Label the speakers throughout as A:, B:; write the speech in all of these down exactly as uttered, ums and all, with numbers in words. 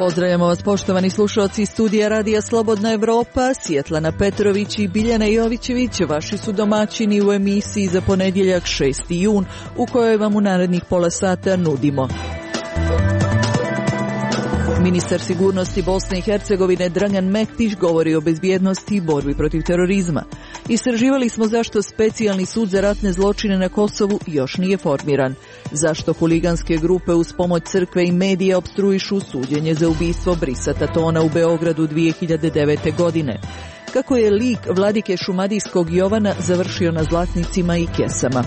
A: Pozdravljamo vas poštovani slušalci iz studija Radija Slobodna Evropa, Svjetlana Petrović i Biljana Jovićević, vaši su domaćini u emisiji za ponedjeljak šesti jun, u kojoj vam u narednih pola sata nudimo. Ministar sigurnosti Bosne i Hercegovine Dragan Mektić govori o bezbjednosti i borbi protiv terorizma. Istraživali smo zašto specijalni sud za ratne zločine na Kosovu još nije formiran. Zašto huliganske grupe uz pomoć crkve i medija opstruišu suđenje za ubistvo Brisa Tatona u Beogradu dvije hiljade devete. godine. Kako je lik vladike šumadijskog Jovana završio na zlatnicima i kesama.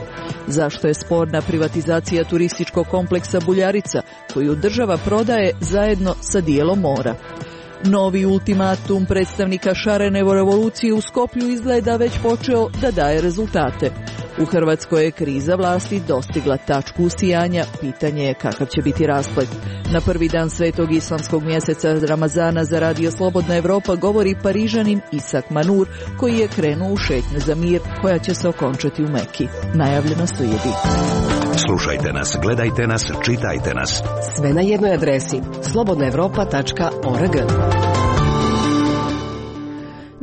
A: Zašto je sporna privatizacija turističkog kompleksa Buljarica, koju država prodaje zajedno sa dijelom mora. Novi ultimatum predstavnika šarene revolucije u Skoplju izgleda već počeo da daje rezultate. U Hrvatskoj je kriza vlasti dostigla tačku usijanja, pitanje je kakav će biti rasplet. Na prvi dan svetog islamskog mjeseca Ramazana za Radio Slobodna Evropa govori Parižanin Isak Manur, koji je krenuo u šetnju za mir koja će se okončati u Meki. Najavljeno slijedi.
B: Slušajte nas, gledajte nas, čitajte nas.
C: Sve na jednoj adresi slobodna evropa tačka org.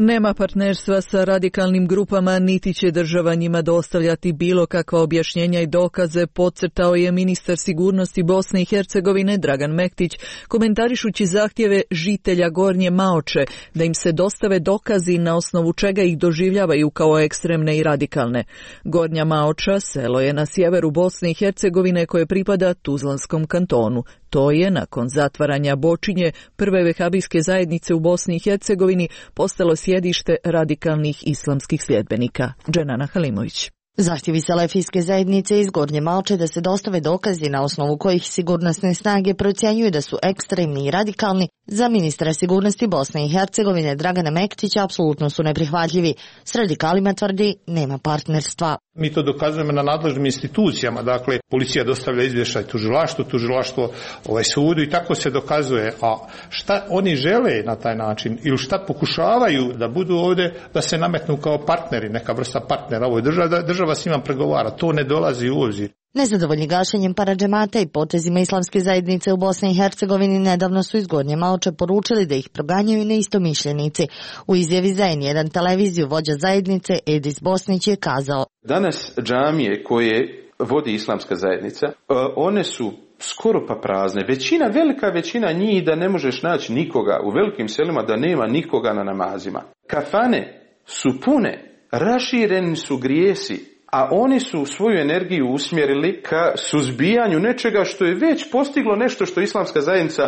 A: Nema partnerstva sa radikalnim grupama, niti će država njima dostavljati bilo kakva objašnjenja i dokaze, podcrtao je ministar sigurnosti Bosne i Hercegovine Dragan Mektić, komentarišući zahtjeve žitelja Gornje Maoče da im se dostave dokazi na osnovu čega ih doživljavaju kao ekstremne i radikalne. Gornja Maoča selo je na sjeveru Bosne i Hercegovine koje pripada Tuzlanskom kantonu. To je, nakon zatvaranja Bočinje, prve vehabijske zajednice u Bosni i Hercegovini, postalo sjedište radikalnih islamskih sljedbenika. Dženana Halimović.
D: Zahtjevi selefijske zajednice iz Gornje Maoče da se dostave dokazi na osnovu kojih sigurnosne snage procjenjuju da su ekstremni i radikalni, za ministra sigurnosti Bosne i Hercegovine Dragana Mektića apsolutno su neprihvatljivi. S radikalima, tvrdi, nema partnerstva.
E: Mi to dokazujemo na nadležnim institucijama, dakle policija dostavlja izvještaj tužilaštvu, tužilaštvo ovaj sudu i tako se dokazuje. A šta oni žele na taj način ili šta pokušavaju da budu ovdje, da se nametnu kao partneri, neka vrsta partnera ovoj državi, da država s njima pregovara, to ne dolazi u obzir.
D: Nezadovoljni gašenjem paradžemata i potezima islamske zajednice u Bosni i Hercegovini nedavno su iz Gornje Maoče poručili da ih proganjaju neistomišljenici. U izjavi za en jedan televiziju vođa zajednice Edis Bosnić je kazao:
F: danas džamije koje vodi islamska zajednica, one su skoro pa prazne. Većina, velika većina njih da ne možeš naći nikoga u velikim selima, da nema nikoga na namazima. Kafane su pune, rašireni su grijesi, a oni su svoju energiju usmjerili ka suzbijanju nečega što je već postiglo nešto što islamska zajednica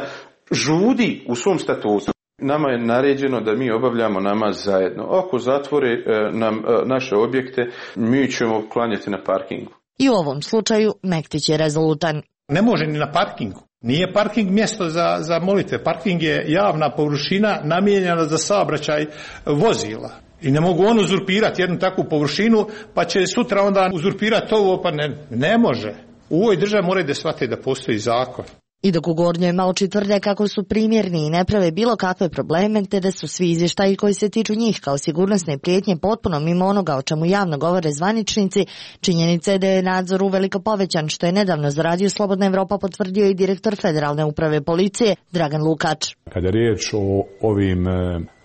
F: žudi u svom statutu. Nama je naređeno da mi obavljamo namaz zajedno. Ako zatvore e, nam e, naše objekte, mi ćemo klanjati na parkingu.
D: I u ovom slučaju Mektić je rezolutan.
E: Ne može ni na parkingu. Nije parking mjesto za, za molitve. Parking je javna površina namijenjena za saobraćaj vozila. I ne mogu on uzurpirati jednu takvu površinu, pa će sutra onda uzurpirati ovo, pa ne, ne može. U ovoj državi moraju da shvate da postoji zakon.
D: I dok u Gornjoj Maoči tvrde kako su primjerni i ne prave bilo kakve probleme, te da su svi izvještaji koji se tiču njih kao sigurnosne prijetnje potpuno mimo onoga o čemu javno govore zvaničnici, činjenica je da je nadzor uveliko povećan, što je nedavno za Radio Slobodna Evropa potvrdio i direktor Federalne uprave policije Dragan Lukač.
G: Kada je riječ o ovim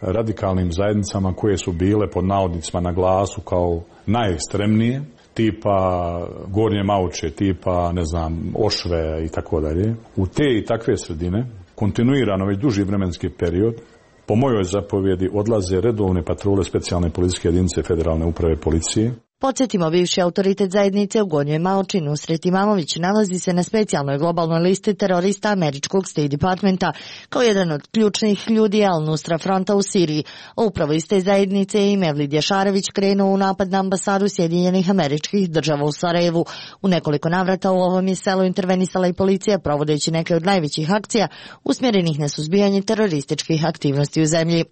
G: radikalnim zajednicama koje su bile pod navodnicima na glasu kao najekstremnije, tipa Gornje Maoče, tipa, ne znam, Ošve i tako dalje. U te i takve sredine, kontinuirano već duži vremenski period, po mojoj zapovjedi odlaze redovne patrole specijalne policijske jedinice Federalne uprave policije.
D: Podsjetimo, bivši autoritet zajednice u Gornjoj Maoči Nusret Imamović nalazi se na specijalnoj globalnoj listi terorista američkog State Departmenta kao jedan od ključnih ljudi Al-Nusra fronta u Siriji. Upravo iz te zajednice je i Mevlid Jašarević krenuo u napad na ambasadu Sjedinjenih Američkih Država u Sarajevu. U nekoliko navrata u ovom je selu intervenisala i policija, provodeći neke od najvećih akcija usmjerenih na suzbijanje terorističkih aktivnosti u zemlji.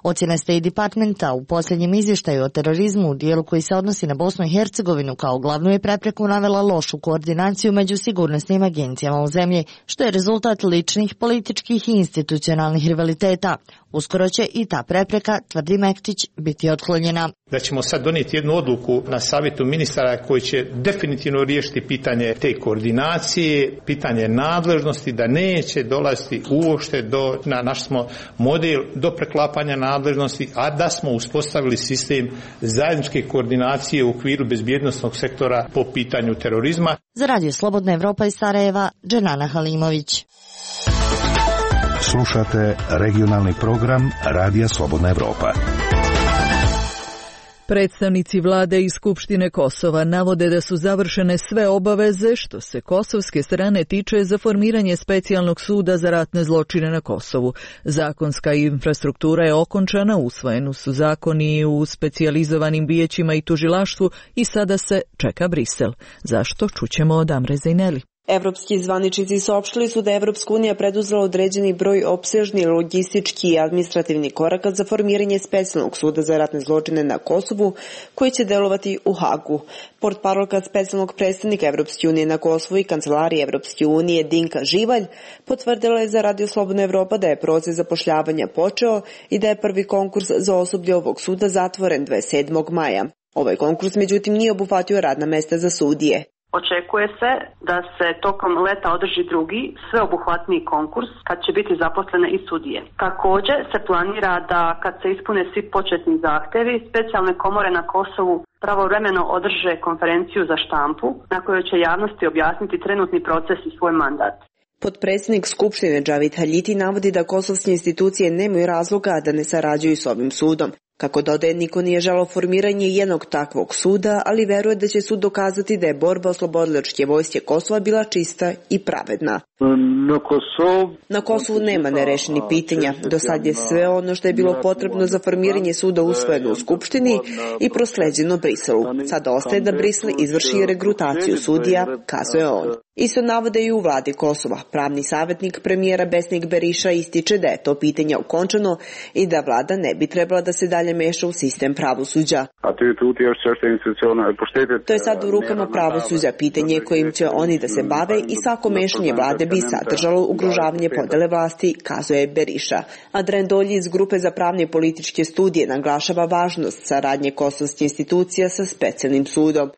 D: Ocjena State Departmenta u posljednjem izvještaju o terorizmu u dijelu koji se odnosi na na Bosnu i Hercegovinu kao glavnu je prepreku navela lošu koordinaciju među sigurnosnim agencijama u zemlji, što je rezultat ličnih, političkih i institucionalnih rivaliteta. Uskoro će i ta prepreka, tvrdi Mektić, biti otklonjena.
E: Da ćemo sad donijeti jednu odluku na savjetu ministara koji će definitivno riješiti pitanje te koordinacije, pitanje nadležnosti, da neće dolaziti uopšte do, na naš smo model do preklapanja nadležnosti, a da smo uspostavili sistem zajedničke koordinacije u okviru bezbjednosnog sektora po pitanju terorizma.
D: Za Radio Slobodna Evropa iz Sarajeva, Dženana Halimović.
B: Slušate regionalni program Radija Slobodna Evropa.
A: Predstavnici vlade i Skupštine Kosova navode da su završene sve obaveze što se kosovske strane tiče za formiranje specijalnog suda za ratne zločine na Kosovu. Zakonska infrastruktura je okončana, usvojeni su zakoni u specijalizovanim vijećima i tužilaštvu i sada se čeka Brisel. Zašto? Čućemo od Amre Zejneli.
H: Evropski zvaničnici saopštili su da je Evropska unija preduzela određeni broj opsežni logistički i administrativni koraka za formiranje specijalnog suda za ratne zločine na Kosovu, koji će delovati u Hagu. Portparolka specijalnog predstavnika Evropske unije na Kosovu i kancelarije Evropske unije Dinka Živalj potvrdila je za Radio Slobodna Evropa da je proces zapošljavanja počeo i da je prvi konkurs za osoblje ovog suda zatvoren dvadeset sedmog maja. Ovaj konkurs međutim nije obuhvatio radna mesta za sudije.
I: Očekuje se da se tokom leta održi drugi, sveobuhvatniji konkurs kad će biti zaposlene i sudije. Također se planira da kad se ispune svi početni zahtevi, specijalne komore na Kosovu pravovremeno održe konferenciju za štampu na kojoj će javnosti objasniti trenutni proces i svoj mandat.
H: Potpredsjednik Skupštine Džavid Haljiti navodi da kosovske institucije nemaju razloga da ne sarađuju s ovim sudom. Kako dodaje, niko nije želeo formiranje jednog takvog suda, ali veruje da će sud dokazati da je borba oslobodilačke vojske Kosova bila čista i pravedna.
J: Na Kosovu,
H: Na Kosovu nema nerešenih pitanja. Do sad je sve ono što je bilo potrebno za formiranje suda usvojeno u Skupštini i prosleđeno Briselu. Sada ostaje da Brisel izvrši regrutaciju sudija, kazuje on. Isto navode i u vladi Kosova. Pravni savjetnik premijera Besnik Beriša ističe da je to pitanje okončano i da vlada ne bi trebala da se dalje meša u sistem pravosuđa. To je sad u rukama pravosuđa, pitanje kojim će oni da se bave i svako mešanje vlade bi sadržalo ugrožavanje podele vlasti, kazuje Beriša. Adrian Dolji iz Grupe za pravne i političke studije naglašava važnost saradnje kosovskih institucija sa specijalnim sudom.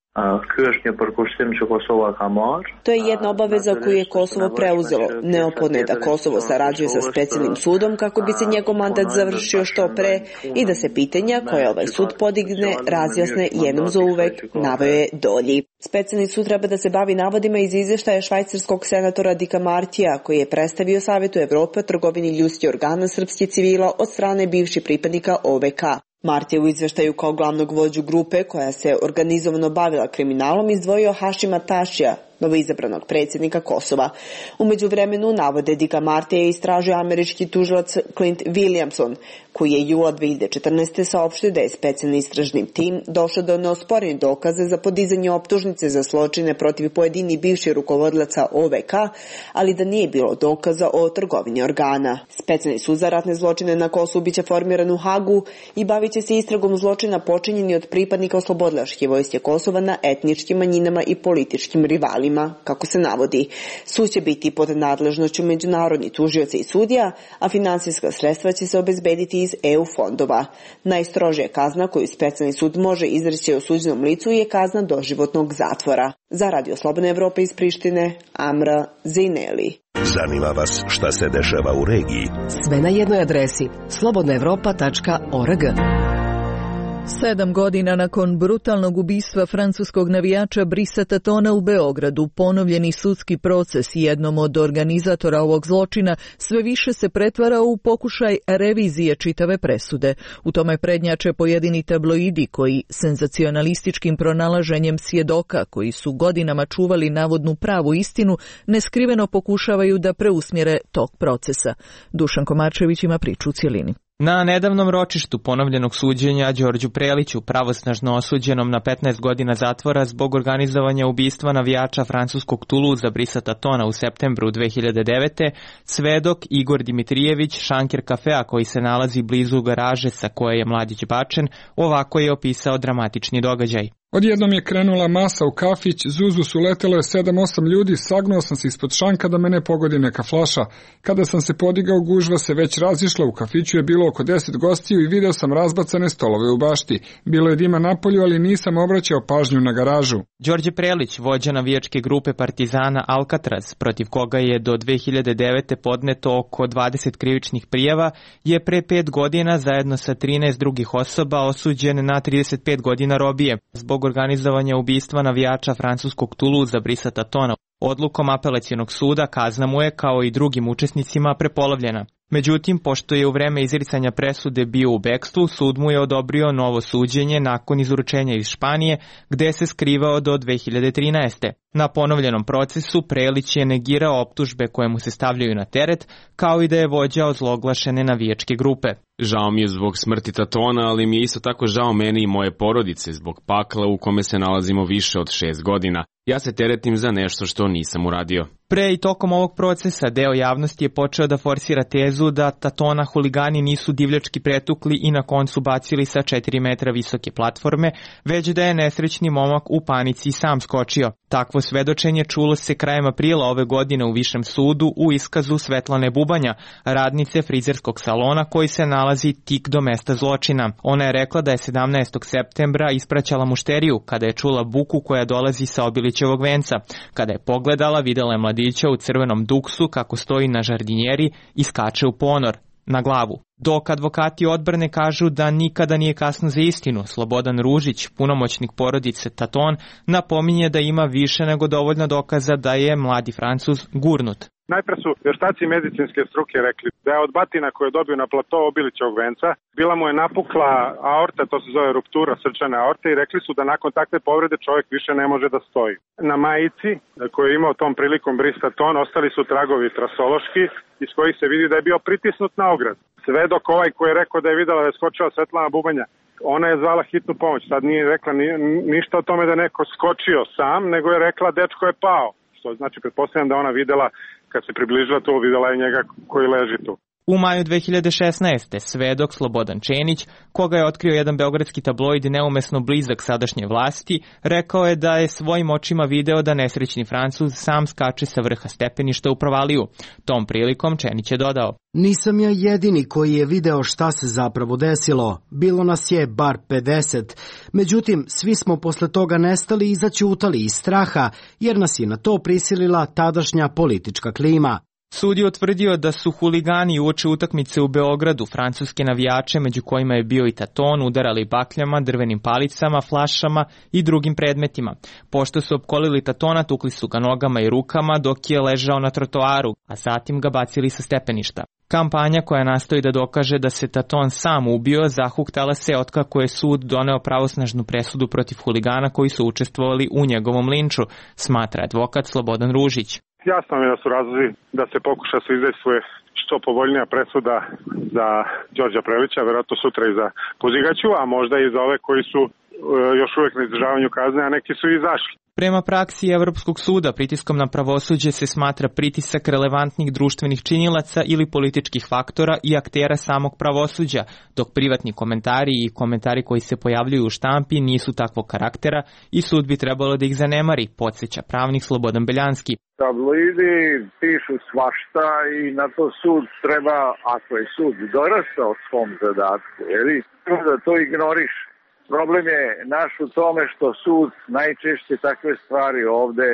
H: To je jedna obaveza koju je Kosovo preuzelo. Neophodno je da Kosovo sarađuje sa specijalnim sudom kako bi se njegov mandat završio što pre i da se pitanja koje ovaj sud podigne razjasne jednom za uvek, naveo je Dolji. Specijalni sud treba da se bavi navodima iz izvještaja švajcarskog senatora Dika Martija, koji je predstavio Savetu Evrope o trgovini ljudskih organa srpskih civila od strane bivših pripadnika O V K. Martija u izveštaju kao glavnog vođu grupe koja se organizovano bavila kriminalom izdvojio Hašima Tašija, novoizabranog predsjednika Kosova. U međuvremenu, navode Dika Martija je istražio američki tužilac Clint Williamson, koji je jula dve hiljade četrnaeste. saopštio da je specijalni istražni tim došao do neosporenih dokaza za podizanje optužnice za zločine protiv pojedini bivših rukovodilaca O V K, ali da nije bilo dokaza o trgovini organa. Specijalni sud za ratne zločine na Kosovu biće formiran u Hagu i bavit će se istragom zločina počinjeni od pripadnika oslobodilačke vojske Kosova na etničkim manjinama i političkim rivalima, kako se navodi. Sud će biti pod nadležnošću međunarodnih tužioca i sudija, a finansijska sredstva će se obezbediti iz E U fondova. Najstrožija kazna koju specijalni sud može izreći osuđenom licu je kazna doživotnog zatvora. Za Radio Slobodna Evropa iz Prištine, Amra Zejneli.
B: Zanima vas šta se dešava u regiji?
C: Sve na jednoj adresi slobodna evropa tačka org.
A: Sedam godina nakon brutalnog ubistva francuskog navijača Brisa Tatona u Beogradu, ponovljeni sudski proces jednom od organizatora ovog zločina sve više se pretvara u pokušaj revizije čitave presude. U tome prednjače pojedini tabloidi koji senzacionalističkim pronalaženjem svjedoka koji su godinama čuvali navodnu pravu istinu neskriveno pokušavaju da preusmjere tok procesa. Dušan Komarčević ima priču u cjelini.
K: Na nedavnom ročištu ponovljenog suđenja Đorđu Preliću, pravosnažno osuđenom na petnaest godina zatvora zbog organizovanja ubistva navijača francuskog Toulouse Brisa Tatona u septembru dve hiljade devete, svedok Igor Dimitrijević, šanker kafea koji se nalazi blizu garaže sa koje je mladić bačen, ovako je opisao dramatični događaj.
L: Odjednom je krenula masa u kafić, zuzu su letelo je sedam osam ljudi, sagnuo sam se ispod šanka da mene pogodi neka flaša. Kada sam se podigao, gužva se već razišla, u kafiću je bilo oko deset gostiju i video sam razbacane stolove u bašti. Bilo je dima napolju, ali nisam obraćao pažnju na garažu.
K: Đorđe Prelić, vođa navijačke grupe Partizana Alcatraz, protiv koga je do dve hiljade devete. podneto oko dvadeset krivičnih prijava, je pre pet godina zajedno sa trinaest drugih osoba osuđen na trideset pet godina robije zbog organizovanja ubistva navijača francuskog Toulouse Brissata Tona. Odlukom apelacionog suda kazna mu je, kao i drugim učesnicima, prepolovljena. Međutim, pošto je u vreme izricanja presude bio u bekstvu, sud mu je odobrio novo suđenje nakon izručenja iz Španije, gde se skrivao do dve hiljade trinaeste. Na ponovljenom procesu Prelić je negirao optužbe koje mu se stavljaju na teret, kao i da je vođa ozloglašene navijačke grupe.
M: Žao mi je zbog smrti Tatona, ali mi je isto tako žao meni i moje porodice zbog pakla u kome se nalazimo više od šest godina. Ja se teretim za nešto što nisam uradio.
K: Pre i tokom ovog procesa deo javnosti je počeo da forsira tezu da Tatona huligani nisu divljački pretukli i na koncu bacili sa četiri metra visoke platforme, već da je nesrećni momak u panici sam skočio. Takvo svedočenje čulo se krajem aprila ove godine u Višem sudu u iskazu Svetlane Bubanja, radnice frizerskog salona koji se nalazi tik do mesta zločina. Ona je rekla da je sedamnaestog septembra ispraćala mušteriju kada je čula buku koja dolazi sa Obilićevog venca. Kada je pogledala, videla je mladića u crvenom duksu kako stoji na žardinjeri i skače u ponor, na glavu. Dok advokati odbrane kažu da nikada nije kasno za istinu, Slobodan Ružić, punomoćnik porodice Taton, napominje da ima više nego dovoljno dokaza da je mladi Francuz gurnut.
N: Najpre su vještaci medicinske struke rekli da je od batina koje je dobio na plato Obilićevog venca, bila mu je napukla aorta, to se zove ruptura srčane aorte, i rekli su da nakon takve povrede čovjek više ne može da stoji. Na majici koju je imao tom prilikom Brissat Ton ostali su tragovi trasološki iz kojih se vidi da je bio pritisnut na ograd. Svedok ovaj koji je rekao da je videla da je skočila Svetlana Bubanja, ona je zvala hitnu pomoć, sad nije rekla ni, ništa o tome da je neko skočio sam, nego je rekla dečko je pao. Što znači, pretpostavljam da ona videla, kad se približila to, videla je njega koji leži tu.
K: U maju dve hiljade šesnaeste. svedok Slobodan Čenić, koga je otkrio jedan beogradski tabloid neumesno blizak sadašnje vlasti, rekao je da je svojim očima video da nesrećni Francuz sam skače sa vrha stepeništa u provaliju. Tom prilikom Čenić je dodao:
O: Nisam ja jedini koji je video šta se zapravo desilo. Bilo nas je bar pedeset. Međutim, svi smo posle toga nestali i zaćutali iz straha, jer nas je na to prisilila tadašnja politička klima.
K: Sud je utvrdio da su huligani uoči utakmice u Beogradu francuske navijače, među kojima je bio i Taton, udarali bakljama, drvenim palicama, flašama i drugim predmetima. Pošto su opkolili Tatona, tukli su ga nogama i rukama dok je ležao na trotoaru, a zatim ga bacili sa stepeništa. Kampanja koja nastoji da dokaže da se Taton sam ubio zahuktala se otkako je sud doneo pravosnažnu presudu protiv huligana koji su učestvovali u njegovom linču, smatra advokat Slobodan Ružić.
N: Jasno mi je da su razlozi da se pokuša se izdejstvuje što povoljnija presuda za Đorđa Prelića, verovatno sutra i za Puzigaću, a možda i za ove koji su još uvijek na izdržavanju kazne, a neki su i izašli.
K: Prema praksi Evropskog suda, pritiskom na pravosuđe se smatra pritisak relevantnih društvenih činilaca ili političkih faktora i aktera samog pravosuđa, dok privatni komentari i komentari koji se pojavljuju u štampi nisu takvog karaktera i sud bi trebalo da ih zanemari, podsjeća pravnik Slobodan Beljanski.
P: Tabloidi pišu svašta i na to sud treba, ako je sud dorastao svom zadatku, jeli, da to ignoriš. Problem je naš u tome što sud najčešće takve stvari ovde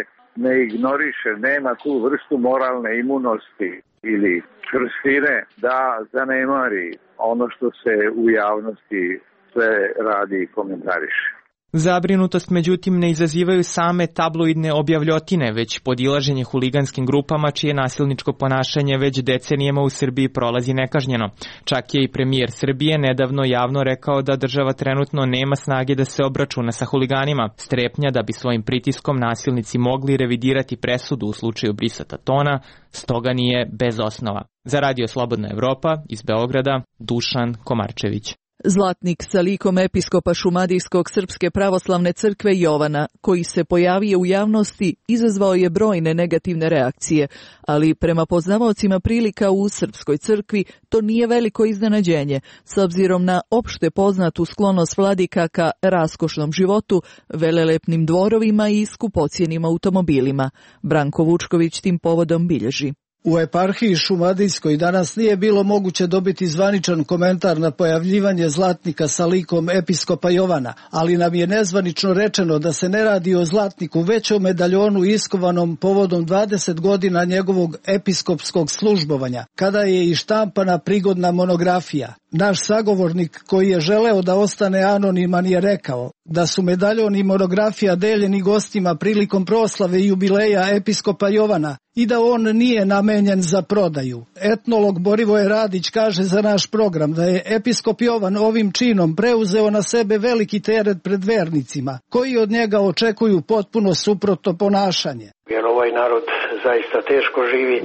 P: ne ignoriše, nema tu vrstu moralne imunosti ili čvrstine da zanemari ono što se u javnosti sve radi i komentariše.
K: Zabrinutost međutim ne izazivaju same tabloidne objavljotine, već podilaženje huliganskim grupama čije nasilničko ponašanje već decenijama u Srbiji prolazi nekažnjeno. Čak je i premijer Srbije nedavno javno rekao da država trenutno nema snage da se obračuna sa huliganima. Strepnja da bi svojim pritiskom nasilnici mogli revidirati presudu u slučaju Brissata Tona, stoga nije bez osnova. Za Radio Slobodna Evropa iz Beograda, Dušan Komarčević.
A: Zlatnik sa likom episkopa Šumadijskog Srpske pravoslavne crkve Jovana, koji se pojavio u javnosti, izazvao je brojne negativne reakcije, ali prema poznavaocima prilika u Srpskoj crkvi to nije veliko iznenađenje, s obzirom na opšte poznatu sklonost vladika ka raskošnom životu, velelepnim dvorovima i skupocijenim automobilima. Branko Vučković tim povodom bilježi.
Q: U eparhiji Šumadijskoj danas nije bilo moguće dobiti zvaničan komentar na pojavljivanje zlatnika sa likom episkopa Jovana, ali nam je nezvanično rečeno da se ne radi o zlatniku, već o medaljonu iskovanom povodom dvadeset godina njegovog episkopskog službovanja, kada je i štampana prigodna monografija. Naš sagovornik, koji je želeo da ostane anoniman, je rekao da su medaljon i monografija deljeni gostima prilikom proslave jubileja episkopa Jovana i da on nije namenjen za prodaju. Etnolog Borivoje Radić kaže za naš program da je episkop Jovan ovim činom preuzeo na sebe veliki teret pred vernicima, koji od njega očekuju potpuno suprotno ponašanje.
R: Jer ovaj narod zaista teško živi,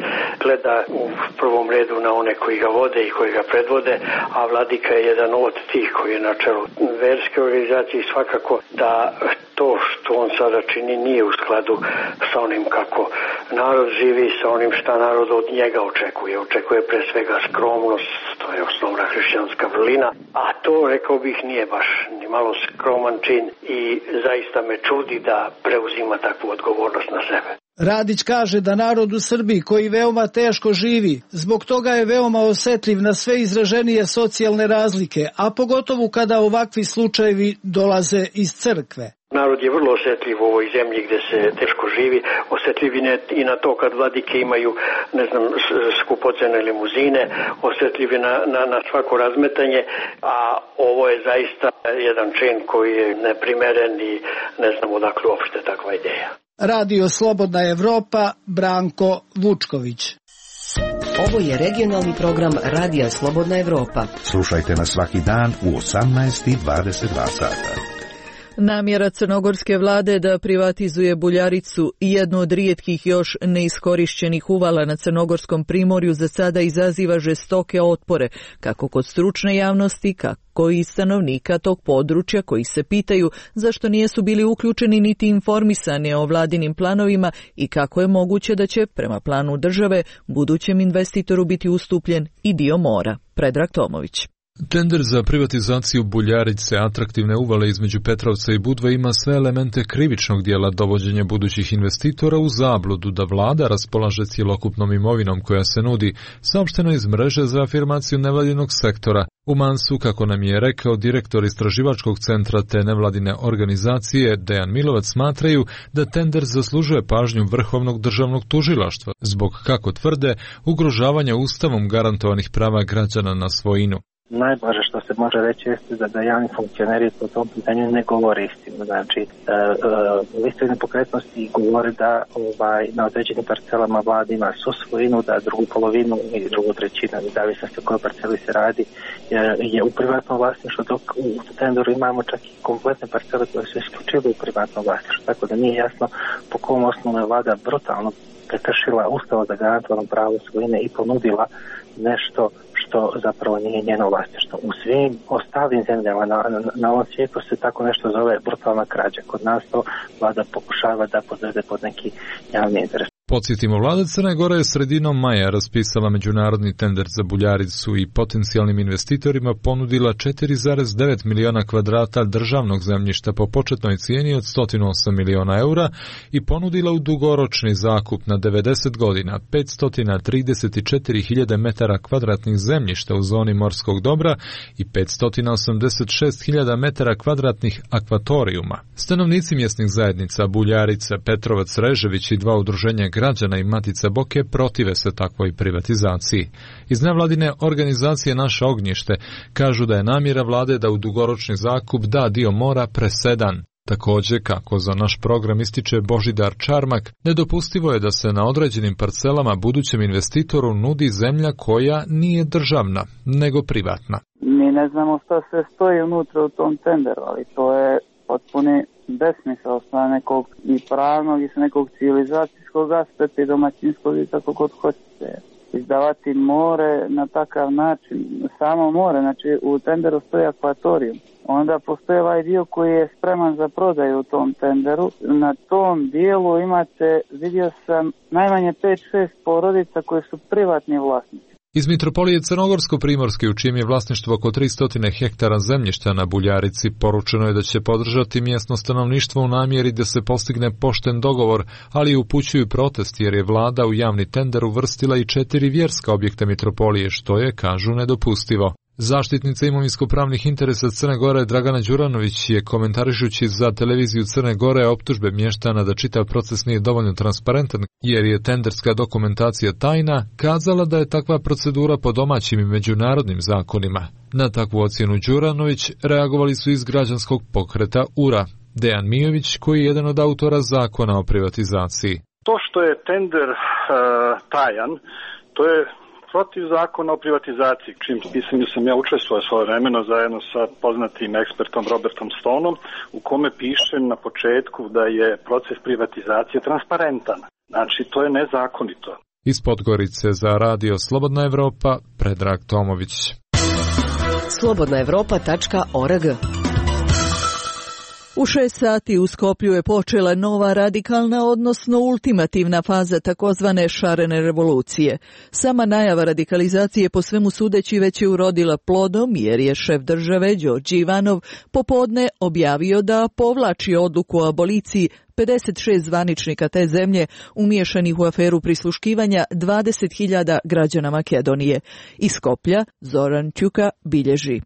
R: gleda u prvom redu na one koji ga vode i koji ga predvode, a vladika je jedan od tih koji je na čelu verske organizacije. Svakako da to što on sada čini nije u skladu sa onim kako narod živi, sa onim šta narod od njega očekuje. Očekuje pre svega skromnost, to je osnovna hrišćanska vrlina, a to, rekao bih, nije baš ni malo skroman čin i zaista me čudi da preuzima takvu odgovornost na sebe.
Q: Radić kaže da narod u Srbiji, koji veoma teško živi, zbog toga je veoma osetljiv na sve izraženije socijalne razlike, a pogotovo kada ovakvi slučajevi dolaze iz crkve.
R: Narod je vrlo osetljiv u ovoj zemlji gdje se teško živi, osetljiv i na to kad vladike imaju, ne znam, skupocene limuzine, osetljiv na, na, na svako razmetanje, a ovo je zaista jedan čin koji je neprimeren i ne znam odakle uopšte takva ideja.
Q: Radio Slobodna Evropa, Branko Vučković.
C: Ovo je regionalni program Radija Slobodna Evropa.
B: Slušajte nas svaki dan u osamnaest i dvadeset dva sata.
A: Namjera crnogorske vlade da privatizuje Buljaricu, jednu od rijetkih još neiskorišćenih uvala na crnogorskom primorju, za sada izaziva žestoke otpore, kako kod stručne javnosti, kako i stanovnika tog područja, koji se pitaju zašto nijesu bili uključeni niti informisani o vladinim planovima i kako je moguće da će, prema planu države, budućem investitoru biti ustupljen i dio mora. Predrag Tomović.
S: Tender za privatizaciju Buljarice, atraktivne uvale između Petrovca i Budve, ima sve elemente krivičnog dijela dovođenja budućih investitora u zabludu da vlada raspolaže cjelokupnom imovinom koja se nudi, saopšteno iz mreže za afirmaciju nevladinog sektora. U Mansu, kako nam je rekao direktor istraživačkog centra te nevladine organizacije Dejan Milovac, smatraju da tender zaslužuje pažnju Vrhovnog državnog tužilaštva zbog, kako tvrde, ugrožavanja ustavom garantovanih prava građana na svojinu.
T: Najblaže što se može reći jeste da, da javni funkcioneri po tom pitanju ne govore istinu. Znači, e, e, listovi nepokretnosti govore da ovaj, na određenim parcelama vlada ima su svojinu, da drugu polovinu ili drugu trećinu, zavisnosti o kojoj parceli se radi, je, je u privatnom vlasništvu, dok u tendoru imamo čak i kompletne parcele koje su isključivo u privatnom vlasništvu. Tako da nije jasno po kom osnovu je vlada brutalno prekršila ustava za garantovano pravo svojine i ponudila nešto što zapravo nije njeno vlasništvo. U svim ostalim zemljama na, na, na ovom svijetu se tako nešto zove brutalna krađa. Kod nas to vlada pokušava da podvede pod neki javni interes.
S: Podsjetimo, vlada Crne Gore je sredinom maja raspisala međunarodni tender za Buljaricu i potencijalnim investitorima ponudila četiri zarez devet miliona kvadrata državnog zemljišta po početnoj cijeni od sto osam miliona eura i ponudila u dugoročni zakup na devedeset godina petsto trideset četiri hiljade metara kvadratnih zemljišta u zoni morskog dobra i petsto osamdeset šest hiljada metara kvadratnih akvatorijuma. Stanovnici mjesnih zajednica Buljarica, Petrovac, Režević i dva udruženja građana i Matica Boke protive se takvoj privatizaciji. Iz nevladine organizacije Naše ognjište kažu da je namjera vlade da u dugoročni zakup da dio mora presedan. Također, kako za naš program ističe Božidar Čarmak, nedopustivo je da se na određenim parcelama budućem investitoru nudi zemlja koja nije državna, nego privatna.
U: Mi ne znamo što se stoji unutra u tom tenderu, ali to je potpuni besmisao sa nekog i pravnog i sa nekog civilizacijskog aspekta i domaćinskog i tako god hoćete. izdavati more na takav način, samo more, znači u tenderu stoji akvatorijum. Onda postoji ovaj dio koji je spreman za prodaju u tom tenderu. Na tom dijelu imate, vidio sam, najmanje pet šest porodica koje su privatni vlasnici.
S: Iz Mitropolije Crnogorsko-Primorske, u čijem je vlasništvo oko tristo hektara zemljišta na Buljarici, poručeno je da će podržati mjesno stanovništvo u namjeri da se postigne pošten dogovor, ali upućuju protest jer je vlada u javni tender uvrstila i četiri vjerska objekta Mitropolije, što je, kažu, nedopustivo. Zaštitnica imovinsko-pravnih interesa Crne Gore Dragana Đuranović je, komentarišući za televiziju Crne Gore optužbe mještana da čitav proces nije dovoljno transparentan jer je tenderska dokumentacija tajna, kazala da je takva procedura po domaćim i međunarodnim zakonima. Na takvu ocjenu Đuranović reagovali su iz građanskog pokreta U R A. Dejan Mijović, koji je jedan od autora zakona o privatizaciji.
F: To što je tender uh, tajan, to je protiv zakona o privatizaciji, čim mislim da sam ja učestvovao svoje vremeno zajedno sa poznatim ekspertom Robertom Stoneom, u kome piše na početku da je proces privatizacije transparentan. Znači, to je nezakonito.
S: Iz Podgorice za radio Slobodna Evropa, Predrag Tomović.
C: slobodna evropa tačka org.
A: U šest sati u Skoplju je počela nova radikalna, odnosno ultimativna faza takozvane šarene revolucije. Sama najava radikalizacije po svemu sudeći već je urodila plodom jer je šef države Đorđe Ivanov popodne objavio da povlači odluku o aboliciji pedeset šest zvaničnika te zemlje umiješanih u aferu prisluškivanja dvadeset hiljada građana Makedonije. Iz Skoplja Zoran Ćuka bilježi.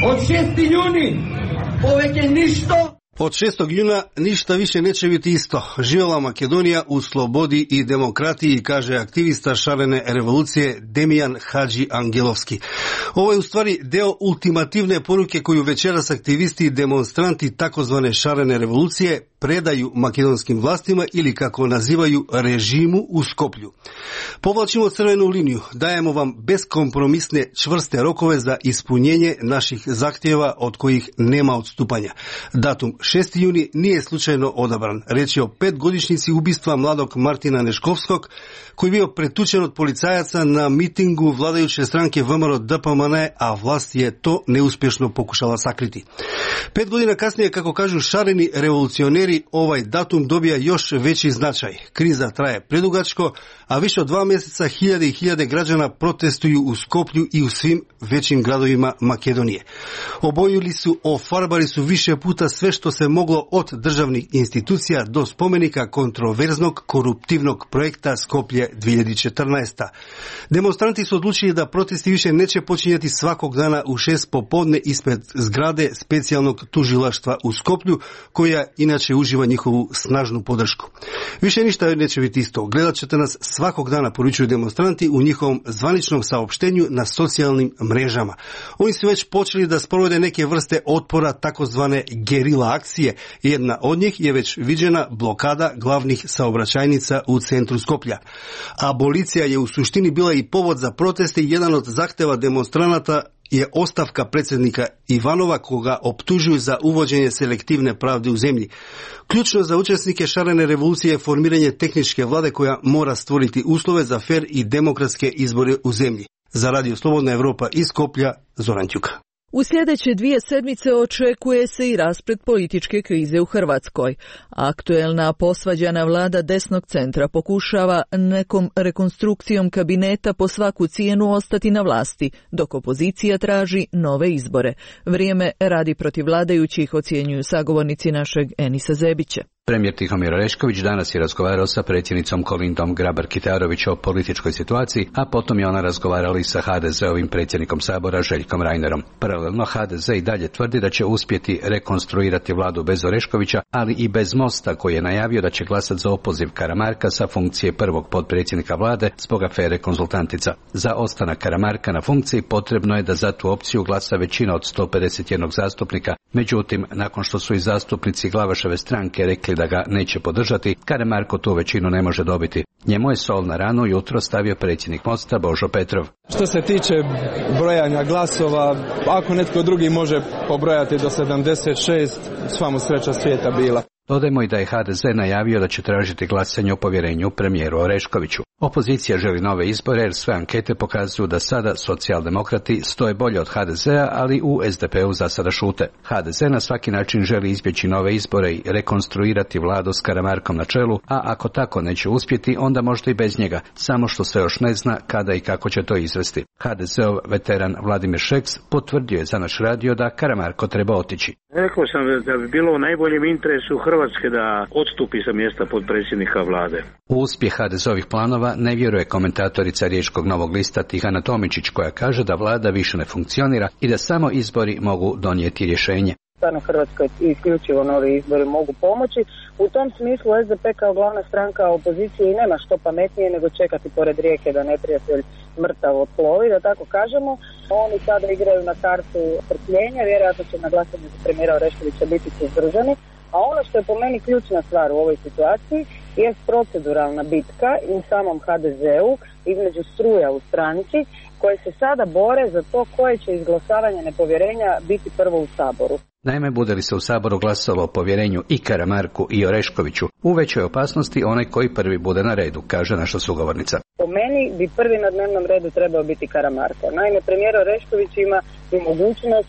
V: Od šestog juna povek je ništa.
W: Od šestog juna ništa više neće biti isto. Živjela Makedonija u slobodi i demokratiji, kaže aktivista šarene revolucije Demijan Hadži Angelovski. Ovo je u stvari deo ultimativne poruke koju večeras aktivisti i demonstranti takozvane šarene revolucije predaju makedonskim vlastima ili, kako nazivaju, režimu u Skoplju. Povlačimo crvenu liniju, dajemo vam beskompromisne čvrste rokove za ispunjenje naših zahtjeva od kojih nema odstupanja. Datum šesti juni nije slučajno odabran. Reč je o petgodišnjici ubistva mladog Martina Neškovskog, koji je bio pretučen od policajaca na mitingu vladajuće stranke V M R D P M N, a vlast je to neuspješno pokušala sakriti. Pet godina kasnije, kako kažu šareni revolucioneri, ovaj datum dobija još veći značaj. Kriza traje predugačko, a više od dva mjeseca hiljade i hiljade građana protestuju u Skoplju i u svim većim gradovima Makedonije. Obojili su, ofarbali su više puta sve što se moglo, od državnih institucija do spomenika kontroverznog koruptivnog projekta Skoplje dvije hiljade četrnaeste. Demonstranti su odlučili da protesti više neće počinjati svakog dana u šest popodne ispred zgrade specijalnog tužilaštva u Skoplju, koja inače uživa njihovu snažnu podršku. Više ništa neće biti isto. Gledat ćete nas svakog dana, poručuju demonstranti u njihovom zvaničnom saopštenju na socijalnim mrežama. Oni su već počeli da sprovode neke vrste otpora, takozvane gerila akcije. Jedna od njih je već viđena blokada glavnih saobraćajnica u centru Skoplja. Abolicija je u suštini bila i povod za proteste i jedan od zahteva demonstranata je ostavka predsjednika Ivanova, koga optužuju za uvođenje selektivne pravde u zemlji. Ključno za učesnike šarene revolucije je formiranje tehničke vlade koja mora stvoriti uslove za fer i demokratske izbore u zemlji. Za radio Slobodna Evropa iz Skoplja, Zoran Ćuka.
A: U sljedeće dvije sedmice očekuje se i rasplet političke krize u Hrvatskoj. Aktuelna posvađana vlada desnog centra pokušava nekom rekonstrukcijom kabineta po svaku cijenu ostati na vlasti, dok opozicija traži nove izbore. Vrijeme radi protiv vladajućih, ocjenjuju sagovornici našeg Enisa Zebića.
X: Premijer Tihomir Orešković danas je razgovarao sa predsjednicom Kolindom Grabar-Kitarović o političkoj situaciji, a potom je ona razgovarala i sa ha de zeovim predsjednikom Sabora Željkom Reinerom. Paralelno ha de ze i dalje tvrdi da će uspjeti rekonstruirati vladu bez Oreškovića, ali i bez Mosta, koji je najavio da će glasati za opoziv Karamarka sa funkcije prvog potpredsjednika vlade zbog afere Konzultantica. Za ostanak Karamarka na funkciji potrebno je da za tu opciju glasa većina od sto pedeset jedan zastupnika. Međutim, nakon što su i zastupnici Glavaševe stranke rekli da ga neće podržati, Karamarko tu većinu ne može dobiti. Njemu je sol na ranu jutro stavio predsjednik Mosta Božo Petrov.
Y: Što se tiče brojanja glasova, ako netko drugi može pobrojati do sedamdeset šest, sva mu sreća svijeta bila.
X: Dodajmo i da je ha de ze najavio da će tražiti glasanje o povjerenju premijeru Oreškoviću. Opozicija želi nove izbore jer sve ankete pokazuju da sada socijaldemokrati stoje bolje od ha de zea, ali u es de pe u za sada šute. ha de ze na svaki način želi izbjeći nove izbore i rekonstruirati vladu s Karamarkom na čelu, a ako tako neće uspjeti, onda možda i bez njega, samo što se još ne zna kada i kako će to izvesti. ha de zeov veteran Vladimir Šeks potvrdio je za naš radio da Karamarko treba otići.
D: Rekao sam da bi bilo u najboljem interesu Hrvatske da odstupi sa mjesta potpredsjednika vlade.
X: U uspjeh ha de zeovih planova ne vjeruje komentatorica Riječkog Novog lista Tihana Tomičić, koja kaže da vlada više ne funkcionira i da samo izbori mogu donijeti rješenje.
E: Stvarno Hrvatskoj isključivo novi izbori mogu pomoći. U tom smislu es de pe kao glavna stranka opozicije i nema što pametnije nego čekati pored rijeke da neprijatelj mrtav otplovi, da tako kažemo. Oni sada igraju na kartu strpljenja, vjerojatno će na glasanju za premijera Oreškovića biti suzdržani. A ono što je po meni ključna stvar u ovoj situaciji je proceduralna bitka i u samom ha de zeu između struja u stranci koje se sada bore za to koje će izglasavanje nepovjerenja biti prvo u Saboru.
X: Naime, bude li se u Saboru glasalo o povjerenju i Karamarku i Oreškoviću, u većoj opasnosti onaj koji prvi bude na redu, kaže naša sugovornica.
E: Po meni bi prvi na dnevnom redu trebao biti Karamarko. Naime, premijer Orešković ima i mogućnost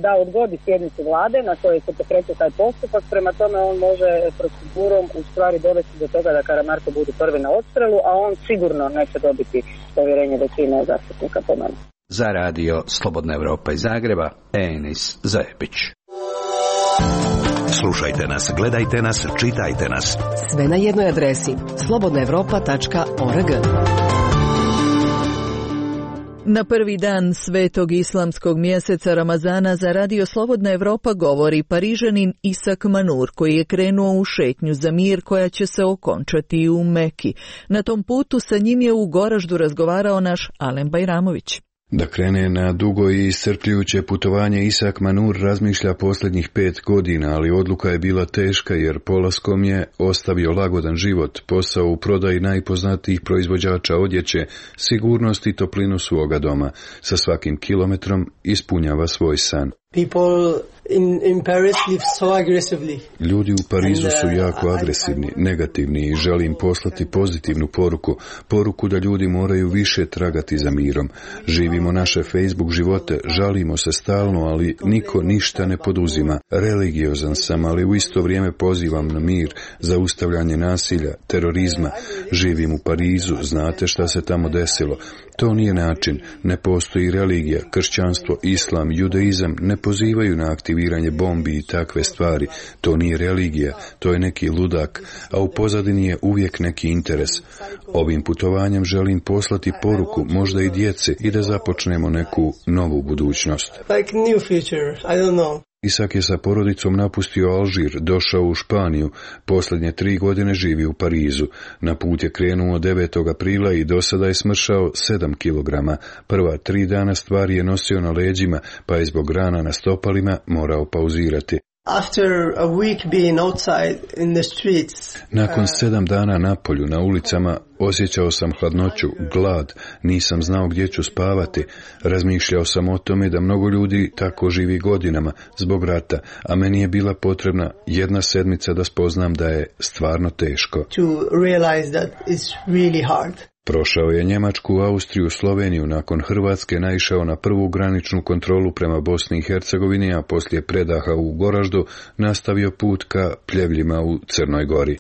E: da odgodi sjednicu vlade na kojoj se pokreće taj postupak, prema tome on može procedurom u stvari dovesti do toga da Karamarko bude prvi na odstrelu, a on sigurno neće dobiti povjerenje većine zastupnika po meni.
X: Za radio Slobodna Evropa iz Zagreba, Enis Zajebić.
B: Slušajte nas, gledajte nas, čitajte nas.
C: Sve na jednoj adresi slobodna evropa tačka org.
A: Na prvi dan svetog islamskog mjeseca Ramazana za radio Slobodna Evropa govori Parižanin Isak Manur, koji je krenuo u šetnju za mir koja će se okončati u Meki. Na tom putu sa njim je u Goraždu razgovarao naš Alen Bajramović.
G: Da krene na dugo i iscrpljujuće putovanje, Isak Manur razmišlja posljednjih pet godina, ali odluka je bila teška jer polaskom je ostavio lagodan život, posao u prodaji najpoznatijih proizvođača odjeće, sigurnost i toplinu svoga doma. Sa svakim kilometrom ispunjava svoj san.
I: People in, in Paris live so aggressively.
G: Ljudi u Parizu su jako agresivni, negativni i želim poslati pozitivnu poruku, poruku da ljudi moraju više tragati za mirom. Živimo naše Facebook živote, žalimo se stalno, ali niko ništa ne poduzima. Religiozan sam, ali u isto vrijeme pozivam na mir, zaustavljanje nasilja, terorizma. Živim u Parizu, znate šta se tamo desilo. To nije način, ne postoji religija, kršćanstvo, islam, judaizam, ne pozivaju na aktiviranje bombi i takve stvari. To nije religija, to je neki ludak, a u pozadini je uvijek neki interes. Ovim putovanjem želim poslati poruku, možda i djeci, i da započnemo neku novu budućnost.
I: Like new future, I don't know.
G: Isak je sa porodicom napustio Alžir, došao u Španiju, posljednje tri godine živi u Parizu. Na put je krenuo devetog aprila i do sada je smršao sedam kilograma. Prva tri dana stvari je nosio na leđima, pa je zbog rana na stopalima morao pauzirati.
I: After a week being outside in the streets,
G: Nakon sedam dana na polju, na ulicama, osjećao sam hladnoću, glad, nisam znao gdje ću spavati. Razmišljao sam o tome da mnogo ljudi tako živi godinama zbog rata, a meni je bila potrebna jedna sedmica da spoznam da je stvarno teško.
I: To realize that it's really hard.
G: Prošao je Njemačku, Austriju, Sloveniju, nakon Hrvatske naišao na prvu graničnu kontrolu prema Bosni i Hercegovini, a poslije predaha u Goraždu nastavio put ka Pljevljima u Crnoj Gori.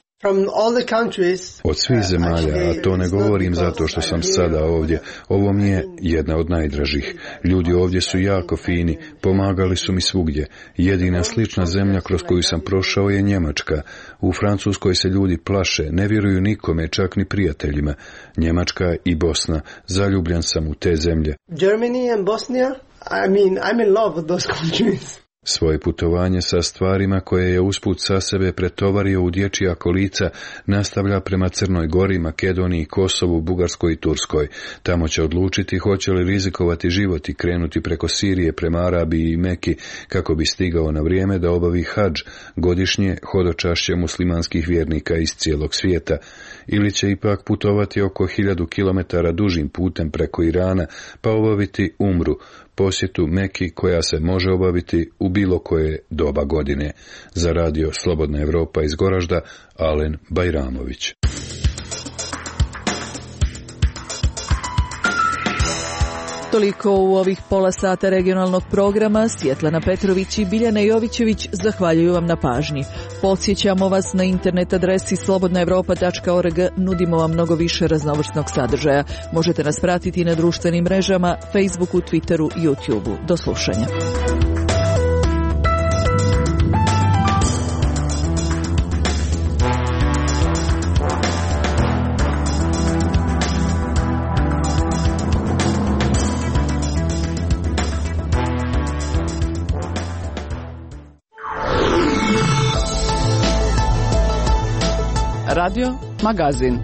G: Od svih zemalja, a to ne govorim zato što sam sada ovdje, ovo mi je jedna od najdražih. Ljudi ovdje su jako fini, pomagali su mi svugdje. Jedina slična zemlja kroz koju sam prošao je Njemačka. U Francuskoj se ljudi plaše, ne vjeruju nikome, čak ni prijateljima. Njemačka i Bosna, zaljubljen sam u te zemlje.
I: Germany and Bosnia, I mean, I'm in love with those countries.
G: Svoje putovanje sa stvarima koje je usput sa sebe pretovario u dječja kolica nastavlja prema Crnoj Gori, Makedoniji, Kosovu, Bugarskoj i Turskoj. Tamo će odlučiti hoće li rizikovati život i krenuti preko Sirije prema Arabiji i Meki kako bi stigao na vrijeme da obavi hadž, godišnje hodočašće muslimanskih vjernika iz cijelog svijeta. Ili će ipak putovati oko hiljadu kilometara dužim putem preko Irana pa obaviti umru, posjetu Meki koja se može obaviti u bilo koje doba godine. Za radio Slobodna Evropa iz Goražda, Alen Bajramović.
A: Toliko u ovih pola sata regionalnog programa. Svjetlana Petrović i Biljana Jovićević zahvaljuju vam na pažnji. Podsjećamo vas na internet adresi slobodna evropa tačka org, nudimo vam mnogo više raznovrsnog sadržaja. Možete nas pratiti na društvenim mrežama, Facebooku, Twitteru, YouTubeu. Do slušanja.
C: Radio Magazin.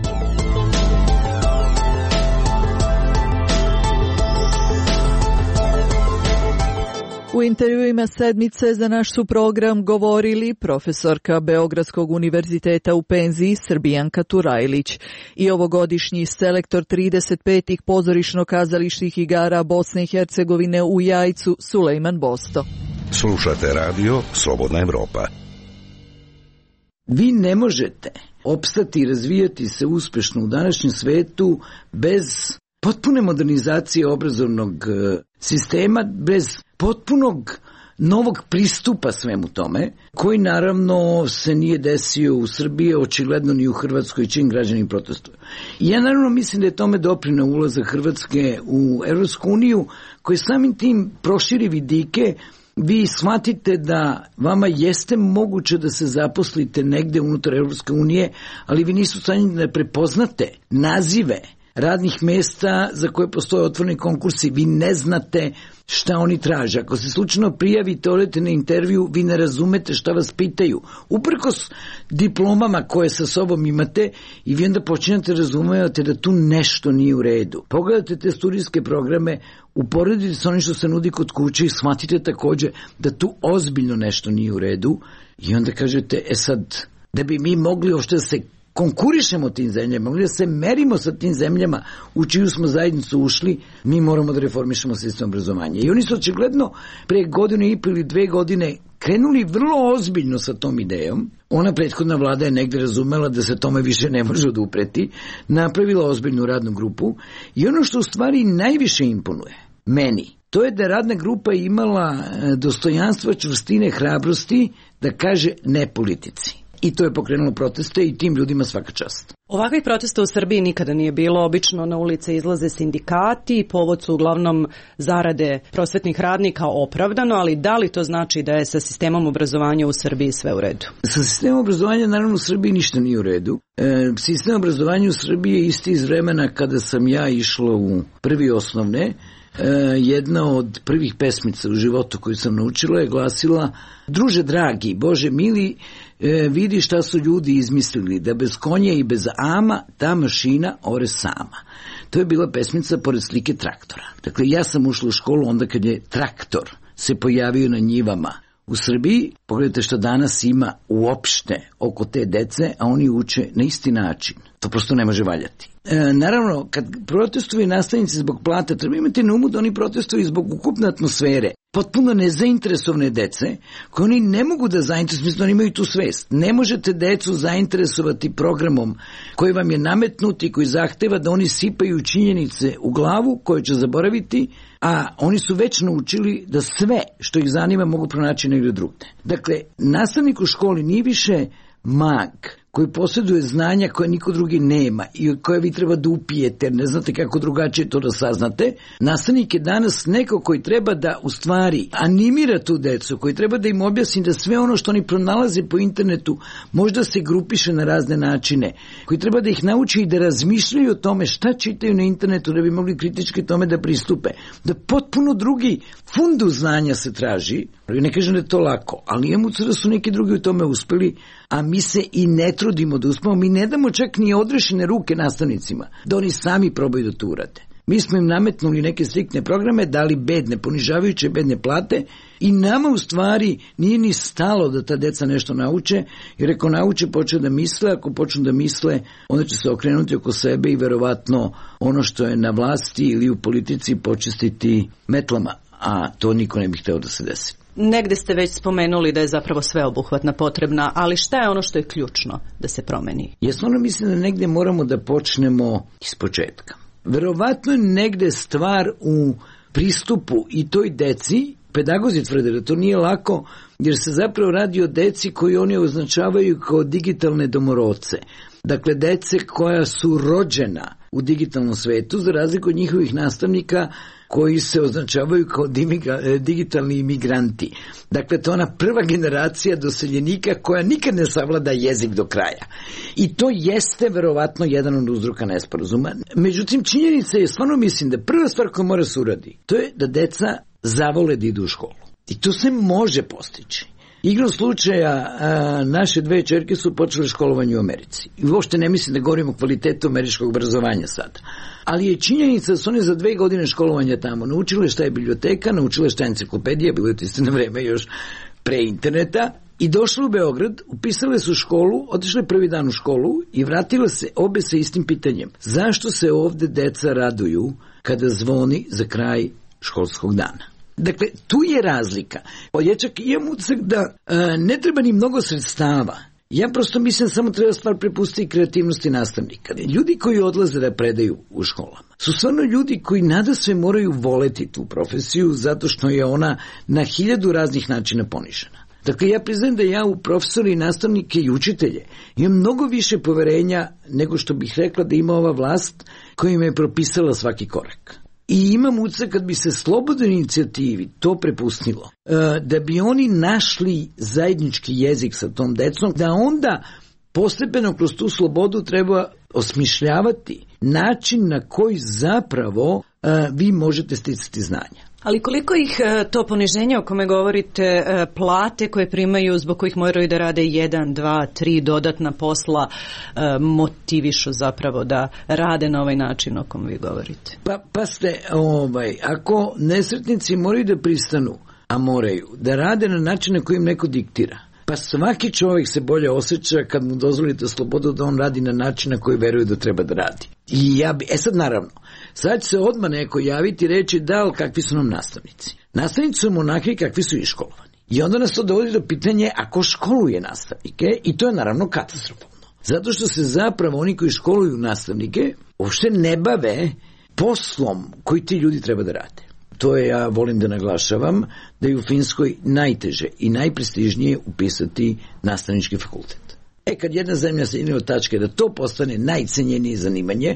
A: U intervjuima sedmice za naš su program govorili profesorka Beogradskog univerziteta u penziji Srbijanka Turajlić i ovogodišnji selektor trideset petih pozorišno-kazališnih igara Bosne i Hercegovine u Jajcu Sulejman Bosto.
B: Slušate radio Slobodna Evropa.
H: Vi ne možete opstati i razvijati se uspešno u današnjem svetu bez potpune modernizacije obrazovnog sistema, bez potpunog novog pristupa svemu tome, koji naravno se nije desio u Srbiji, očigledno ni u Hrvatskoj, čim građani protestuju. I ja naravno mislim da je tome doprineo ulazak Hrvatske u Evropsku uniju, koji samim tim proširi vidike. Vi shvatite da vama jeste moguće da se zaposlite negde unutar Evropske unije, ali vi nisu stanjeni da prepoznate nazive radnih mesta za koje postoje otvoreni konkursi. Vi ne znate šta oni traže. Ako se slučajno prijavite, odete na intervju, vi ne razumete šta vas pitaju. Uprkos diplomama koje sa sobom imate, i vi onda počinjate razumevati da tu nešto nije u redu. Pogledajte te studijske programe, uporedite sa onim što se nudi kod kuće i shvatite također da tu ozbiljno nešto nije u redu. I onda kažete, e sad, da bi mi mogli uopšte da se konkurišemo tim zemljama, mogli da se merimo sa tim zemljama u čiju smo zajednicu ušli, mi moramo da reformišemo sistem obrazovanja. I oni su očigledno pre godinu i ili dve godine krenuli vrlo ozbiljno sa tom idejom. Ona prethodna vlada je negde razumela da se tome više ne može odupreti, napravila ozbiljnu radnu grupu i ono što u stvari najviše imponuje meni, to je da radna grupa imala dostojanstva, čvrstine, hrabrosti da kaže ne politici. I to je pokrenulo proteste i tim ljudima svaka čast.
J: Ovakvih protesta u Srbiji nikada nije bilo. Obično na ulice izlaze sindikati, povod su uglavnom zarade prosvetnih radnika opravdano, ali da li to znači da je sa sistemom obrazovanja u Srbiji sve u redu?
H: Sa sistemom obrazovanja naravno u Srbiji ništa nije u redu. E, sistem obrazovanja u Srbiji je isti iz vremena kada sam ja išla u prvi osnovne. E, jedna od prvih pesmica u životu koju sam naučila je glasila: druže dragi, Bože mili, e, vidi šta su ljudi izmislili, da bez konja i bez ama ta mašina ore sama. To je bila pesmica pored slike traktora. Dakle, ja sam ušla u školu onda kad je traktor se pojavio na njivama u Srbiji. Pogledajte što danas ima uopšte oko te dece, a oni uče na isti način. To prosto ne može valjati. E, naravno, kad protestuju nastavnici zbog plata, treba imati na umu da oni protestuju zbog ukupne atmosfere. Potpuno nezainteresovane dece, koje oni ne mogu da zainteresuju, mislim da oni imaju tu svest. Ne možete decu zainteresovati programom koji vam je nametnut i koji zahteva da oni sipaju činjenice u glavu koje će zaboraviti, a oni su već naučili da sve što ih zanima mogu pronaći negdje drugde. Dakle, nastavnik u školi nije više mag koji posjeduje znanja koje niko drugi nema i koje vi treba da upijete, ne znate kako drugačije to da saznate. Nastavnik je danas neko koji treba da u stvari animira tu decu, koji treba da im objasni da sve ono što oni pronalaze po internetu možda se grupiše na razne načine, koji treba da ih nauči i da razmišljaju o tome šta čitaju na internetu da bi mogli kritički tome da pristupe. Da potpuno drugi fundus znanja se traži. Ne kažem da je to lako, ali imamo da su neki drugi u tome uspeli, a mi se i ne trudimo da uspemo, mi ne damo čak ni odrešene ruke nastavnicima, da oni sami probaju da to urade. Mi smo im nametnuli neke striktne programe, dali bedne, ponižavajuće bedne plate i nama u stvari nije ni stalo da ta deca nešto nauče, jer ako nauče počne da misle, ako počnu da misle, onda će se okrenuti oko sebe i verovatno ono što je na vlasti ili u politici počistiti metlama. a to niko ne bi hteo da se desi.
J: Negde ste već spomenuli da je zapravo sveobuhvatna potrebna, ali šta je ono što je ključno da se promeni?
H: Ja stvarno mislim da negde moramo da počnemo iz početka. Verovatno je negde stvar u pristupu i toj deci. Pedagozi tvrde da to nije lako, jer se zapravo radi o deci koji oni označavaju kao digitalne domorodce. Dakle, dece koja su rođena u digitalnom svetu, za razliku od njihovih nastavnika koji se označavaju kao digitalni imigranti. Dakle, to je ona prva generacija doseljenika koja nikad ne savlada jezik do kraja. I to jeste verovatno jedan od uzroka nesporazuma. Međutim, činjenica je, stvarno mislim da prva stvar koja mora se uradi, to je da deca zavole da idu u školu. I to se može postići. Igrom slučaja, a, naše dve ćerke su počele školovanje u Americi. I uopšte ne mislim da govorim o kvalitetu američkog obrazovanja sada. Ali je činjenica da su one za dve godine školovanja tamo naučile šta je biblioteka, naučile šta je enciklopedija, bilo je to isto na vreme još pre interneta, i došle u Beograd, upisale su školu, otišle prvi dan u školu i vratile se obe sa istim pitanjem. Zašto se ovde deca raduju kada zvoni za kraj školskog dana? Dakle, tu je razlika. Ja čak imam utisak da a, ne treba ni mnogo sredstava. Ja prosto mislim samo treba stvar prepustiti kreativnosti nastavnika. Ljudi koji odlaze da predaju u školama su stvarno ljudi koji nadasve moraju voleti tu profesiju zato što je ona na hiljadu raznih načina ponižena. Dakle, ja priznajem da ja u profesori, nastavnike i učitelje imam mnogo više poverenja nego što bih rekla da ima ova vlast koja im je propisala svaki korak. I imam utisak kad bi se slobodnoj inicijativi to prepustilo, da bi oni našli zajednički jezik sa tom decom, da onda postepeno kroz tu slobodu treba osmišljavati način na koji zapravo vi možete sticati znanja.
J: Ali koliko ih to poniženje o kome govorite, plate koje primaju zbog kojih moraju da rade jedan, dva, tri dodatna posla motivišu zapravo da rade na ovaj način o kom vi govorite?
H: Pa, pa ste, ovaj, ako nesretnici moraju da pristanu, a moraju, da rade na način na koji im neko diktira, pa svaki čovjek se bolje osjeća kad mu dozvolite slobodu da on radi na način na koji veruje da treba da radi. I ja bi, e sad naravno, sad će se odmah neko javiti i reći da, ali kakvi su nam nastavnici? Nastavnici su onakvi kakvi su iškolovani. I onda nas to dovodi do pitanje ako školuje nastavnike, i to je naravno katastrofalno. Zato što se zapravo oni koji školuju nastavnike uopšte ne bave poslom koji ti ljudi treba da rade. To je, ja volim da naglašavam, da je u Finskoj najteže i najprestižnije upisati nastavnički fakultet. E, kad jedna zemlja se ide od tačke da to postane najcenjenije zanimanje,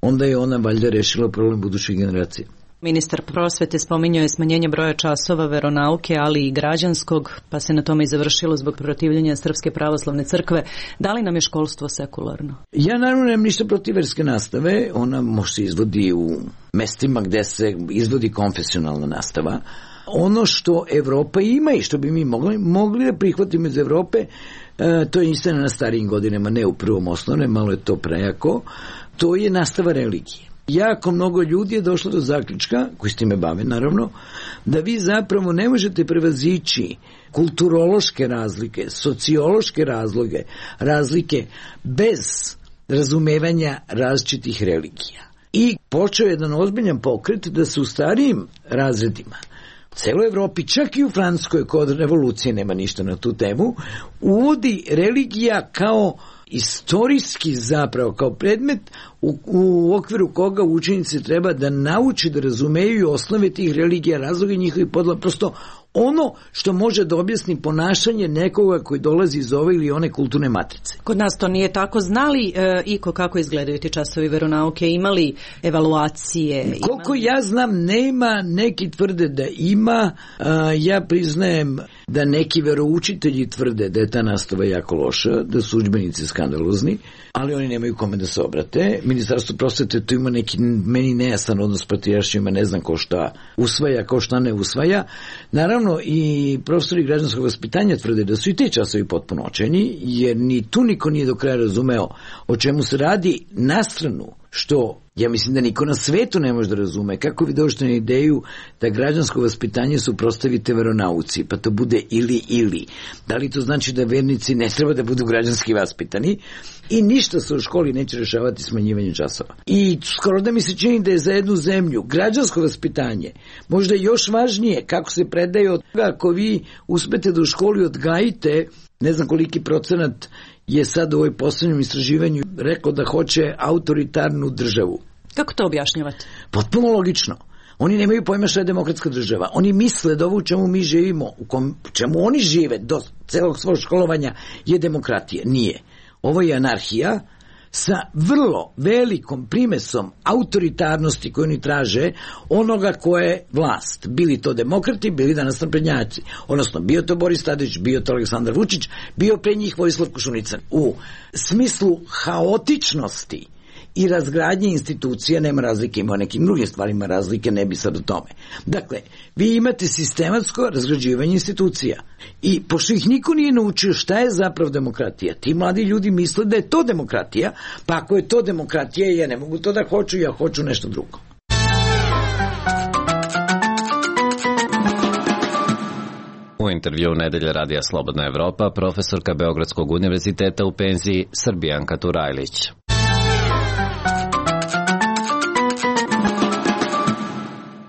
H: onda je ona valjda rešila problem budućih generacija.
J: Ministar prosvete spominjao je smanjenje broja časova veronauke, ali i građanskog, pa se na tome i završilo zbog protivljenja Srpske pravoslavne crkve. Da li nam je školstvo sekularno?
H: Ja naravno nemam ništa protiv verske nastave. Ona može se izvodi u mestima gde se izvodi konfesionalna nastava. Ono što Evropa ima i što bi mi mogli, mogli da prihvatimo iz Evrope, e, to je istina na starijim godinama, ne u prvom osnovne, malo je to prejako, to je nastava religije. Jako mnogo ljudi je došlo do zaključka, koji s time bave naravno, da vi zapravo ne možete prevazići kulturološke razlike, sociološke razloge, razlike bez razumevanja različitih religija. I počeo je jedan ozbiljan pokret da se u starijim razredima, u celoj Evropi, čak i u Francuskoj kod revolucije nema ništa na tu temu, uvodi religija kao istorijski zapravo, kao predmet u, u okviru koga učenici treba da nauči da razumeju osnove tih religija, razloge njihovih podela, prosto ono što može da objasni ponašanje nekoga koji dolazi iz ove ili one kulturne matrice.
J: Kod nas to nije tako. Znali e, iko kako izgledaju ti časovi veronauke? Imali evaluacije? Imali...
H: Koliko ja znam, nema, neki tvrde da ima, a, ja priznajem da neki veroučitelji tvrde da je ta nastava jako loša, da su udžbenici skandalozni, ali oni nemaju kome da se obrate. Ministarstvo prosvete tu ima neki meni nejasan odnos s patrijaršima, ne znam ko šta usvaja, ko šta ne usvaja. Naravno, i profesori građanskog vaspitanja tvrde da su i te časovi potpuno očajni, jer ni tu niko nije do kraja razumeo o čemu se radi, na stranu što Ja mislim da niko na svetu ne može da razume kako vi dođete na ideju da građansko vaspitanje suprotstavite veronauci, pa to bude ili ili. Da li to znači da vernici ne treba da budu građanski vaspitani i ništa se u školi neće rešavati smanjivanjem časova. I skoro da mi se čini da je za jednu zemlju građansko vaspitanje možda još važnije kako se predaje od toga ako vi uspete da u školi odgajite, ne znam koliki procenat je sad u ovoj poslednjem istraživanju rekao da hoće autoritarnu državu.
J: Kako to objašnjavate?
H: Potpuno logično. Oni nemaju pojma šta je demokratska država. Oni misle da ovo u čemu mi živimo, u kom, čemu oni žive do celog svog školovanja je demokratija. Nije. Ovo je anarhija sa vrlo velikom primesom autoritarnosti koju oni traže onoga ko je vlast. Bili to demokrati, bili danas naprednjaci. Odnosno, bio to Boris Tadić, bio to Aleksandar Vučić, bio pre njih Vojislav Koštunica. U smislu haotičnosti i razgradnje institucija nema razlike, ima o nekim drugim stvarima razlike, ne bi sad o tome. Dakle, vi imate sistematsko razgrađivanje institucija i pošto ih niko nije naučio šta je zapravo demokratija, ti mladi ljudi misle da je to demokratija, pa ako je to demokratija, ja ne mogu to da hoću, ja hoću nešto drugo.
L: U intervju Nedelje radija Slobodna Evropa profesorka Beogradskog univerziteta u penziji Srbijanka Turajlić.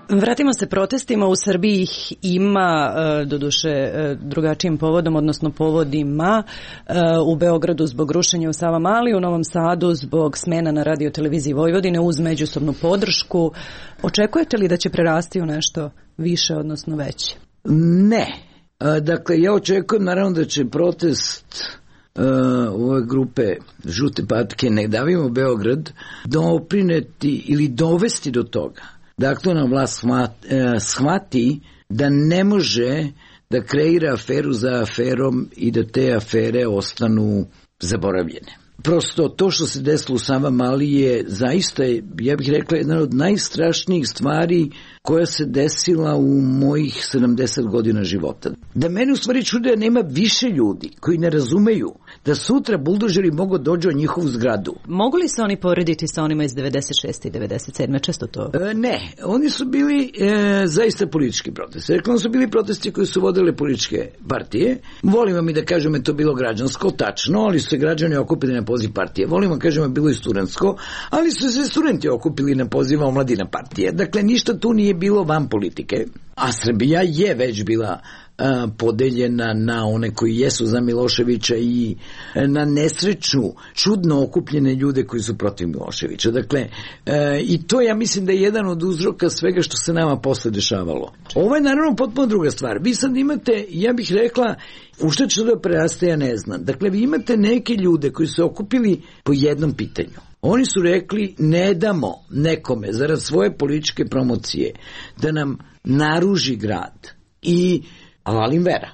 J: Vratimo se protestima. U Srbiji ih ima, doduše drugačijim povodom, odnosno povodima. U Beogradu zbog rušenja u Savamali, u Novom Sadu zbog smena na radioteleviziji Vojvodine uz međusobnu podršku. Očekujete li da će prerasti u nešto više, odnosno veće?
H: Ne. Dakle, ja očekujem naravno da će protest Uh, ove grupe Žute patke Ne davimo Beograd doprineti ili dovesti do toga da aktualna vlast shvati, uh, shvati da ne može da kreira aferu za aferom i da te afere ostanu zaboravljene. Prosto to što se desilo u Savamali je zaista, ja bih rekla, jedna od najstrašnijih stvari koja se desila u mojih sedamdeset godina života. Da mene u stvari čude da nema više ljudi koji ne razumeju da sutra buldožeri mogu dođu u njihovu zgradu.
J: Mogu li se oni porediti sa onima iz devedeset šeste i devedeset sedme Često to?
H: E, ne, oni su bili e, zaista politički protesti. Rekla, su bili protesti koji su vodile političke partije. Volimo mi da kažemo je to bilo građansko, tačno, ali su se građani okupili na poziv partije. Volimo kažemo je bilo i studentsko, ali su se studenti okupili na poziv omladina partije. Dakle, ništa tu nije bilo van politike, a Srbija je već bila a, podeljena na one koji jesu za Miloševića i na nesreću čudno okupljene ljude koji su protiv Miloševića. Dakle, a, i to ja mislim da je jedan od uzroka svega što se nama posle dešavalo. Ovo je naravno potpuno druga stvar. Vi sad imate, ja bih rekla, u što će da preraste, ja ne znam. Dakle, vi imate neke ljude koji su okupili po jednom pitanju. Oni su rekli ne damo nekome zarad svoje političke promocije da nam naruži grad i avalim vera.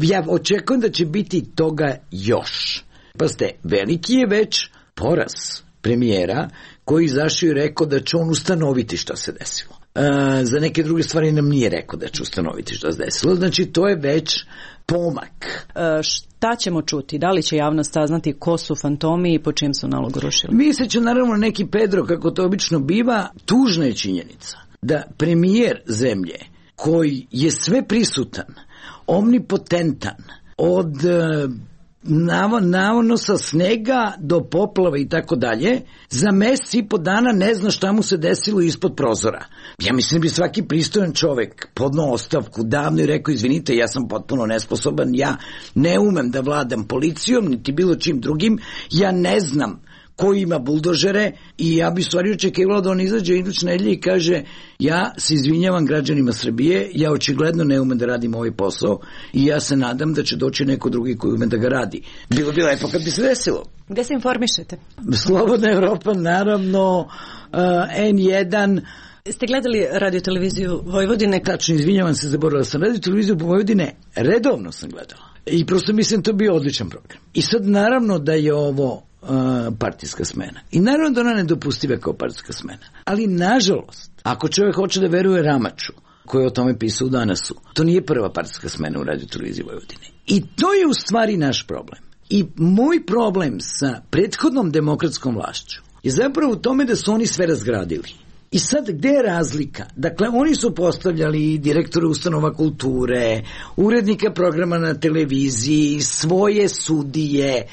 H: Ja očekujem da će biti toga još. Pa ste, veliki je već poraz premijera koji izašao i rekao da će on ustanoviti šta se desilo. E, za neke druge stvari nam nije rekao da će ustanoviti šta se desilo. Znači to je već pomak.
J: E, šta ćemo čuti? Da li će javnost saznati ko su fantomi i po čim su nalogu rušili?
H: Misle će naravno neki Pedro, kako to obično biva. Tužna je činjenica da premijer zemlje koji je sve prisutan, omnipotentan, od navonosa snega do poplava i tako dalje, za mesec i po dana ne zna šta mu se desilo ispod prozora. Ja mislim da bi svaki pristojan čovek podnao ostavku davno i rekao, izvinite, ja sam potpuno nesposoban, ja ne umem da vladam policijom, niti bilo čim drugim, ja ne znam ko ima buldožere i ja bi stvari očekivala da on izađe iduće nedelje i kaže, ja se izvinjavam građanima Srbije, ja očigledno ne umem da radim ovaj posao i ja se nadam da će doći neko drugi koji ume da ga radi. Bilo bi lepo kad bi se desilo.
J: Gde se informišete?
H: Slobodna Evropa, naravno, uh, en jedan.
J: Ste gledali radioteleviziju Vojvodine?
H: Tačno, izvinjavam se, zaboravila sam. Radioteleviziju Vojvodine redovno sam gledala. I prosto mislim to bio odličan program. I sad naravno da je ovo Uh, partijska smena. I naravno da ona nedopustiva kao partijska smena. Ali nažalost, ako čovjek hoće da veruje Ramaču, koji je o tome pisao u Danasu, to nije prva partijska smena u radioteleviziji Vojvodine. I to je u stvari naš problem. I moj problem sa prethodnom demokratskom vlašću je zapravo u tome da su oni sve razgradili. I sad, gde je razlika? Dakle, oni su postavljali direktore ustanova kulture, urednika programa na televiziji, svoje sudije,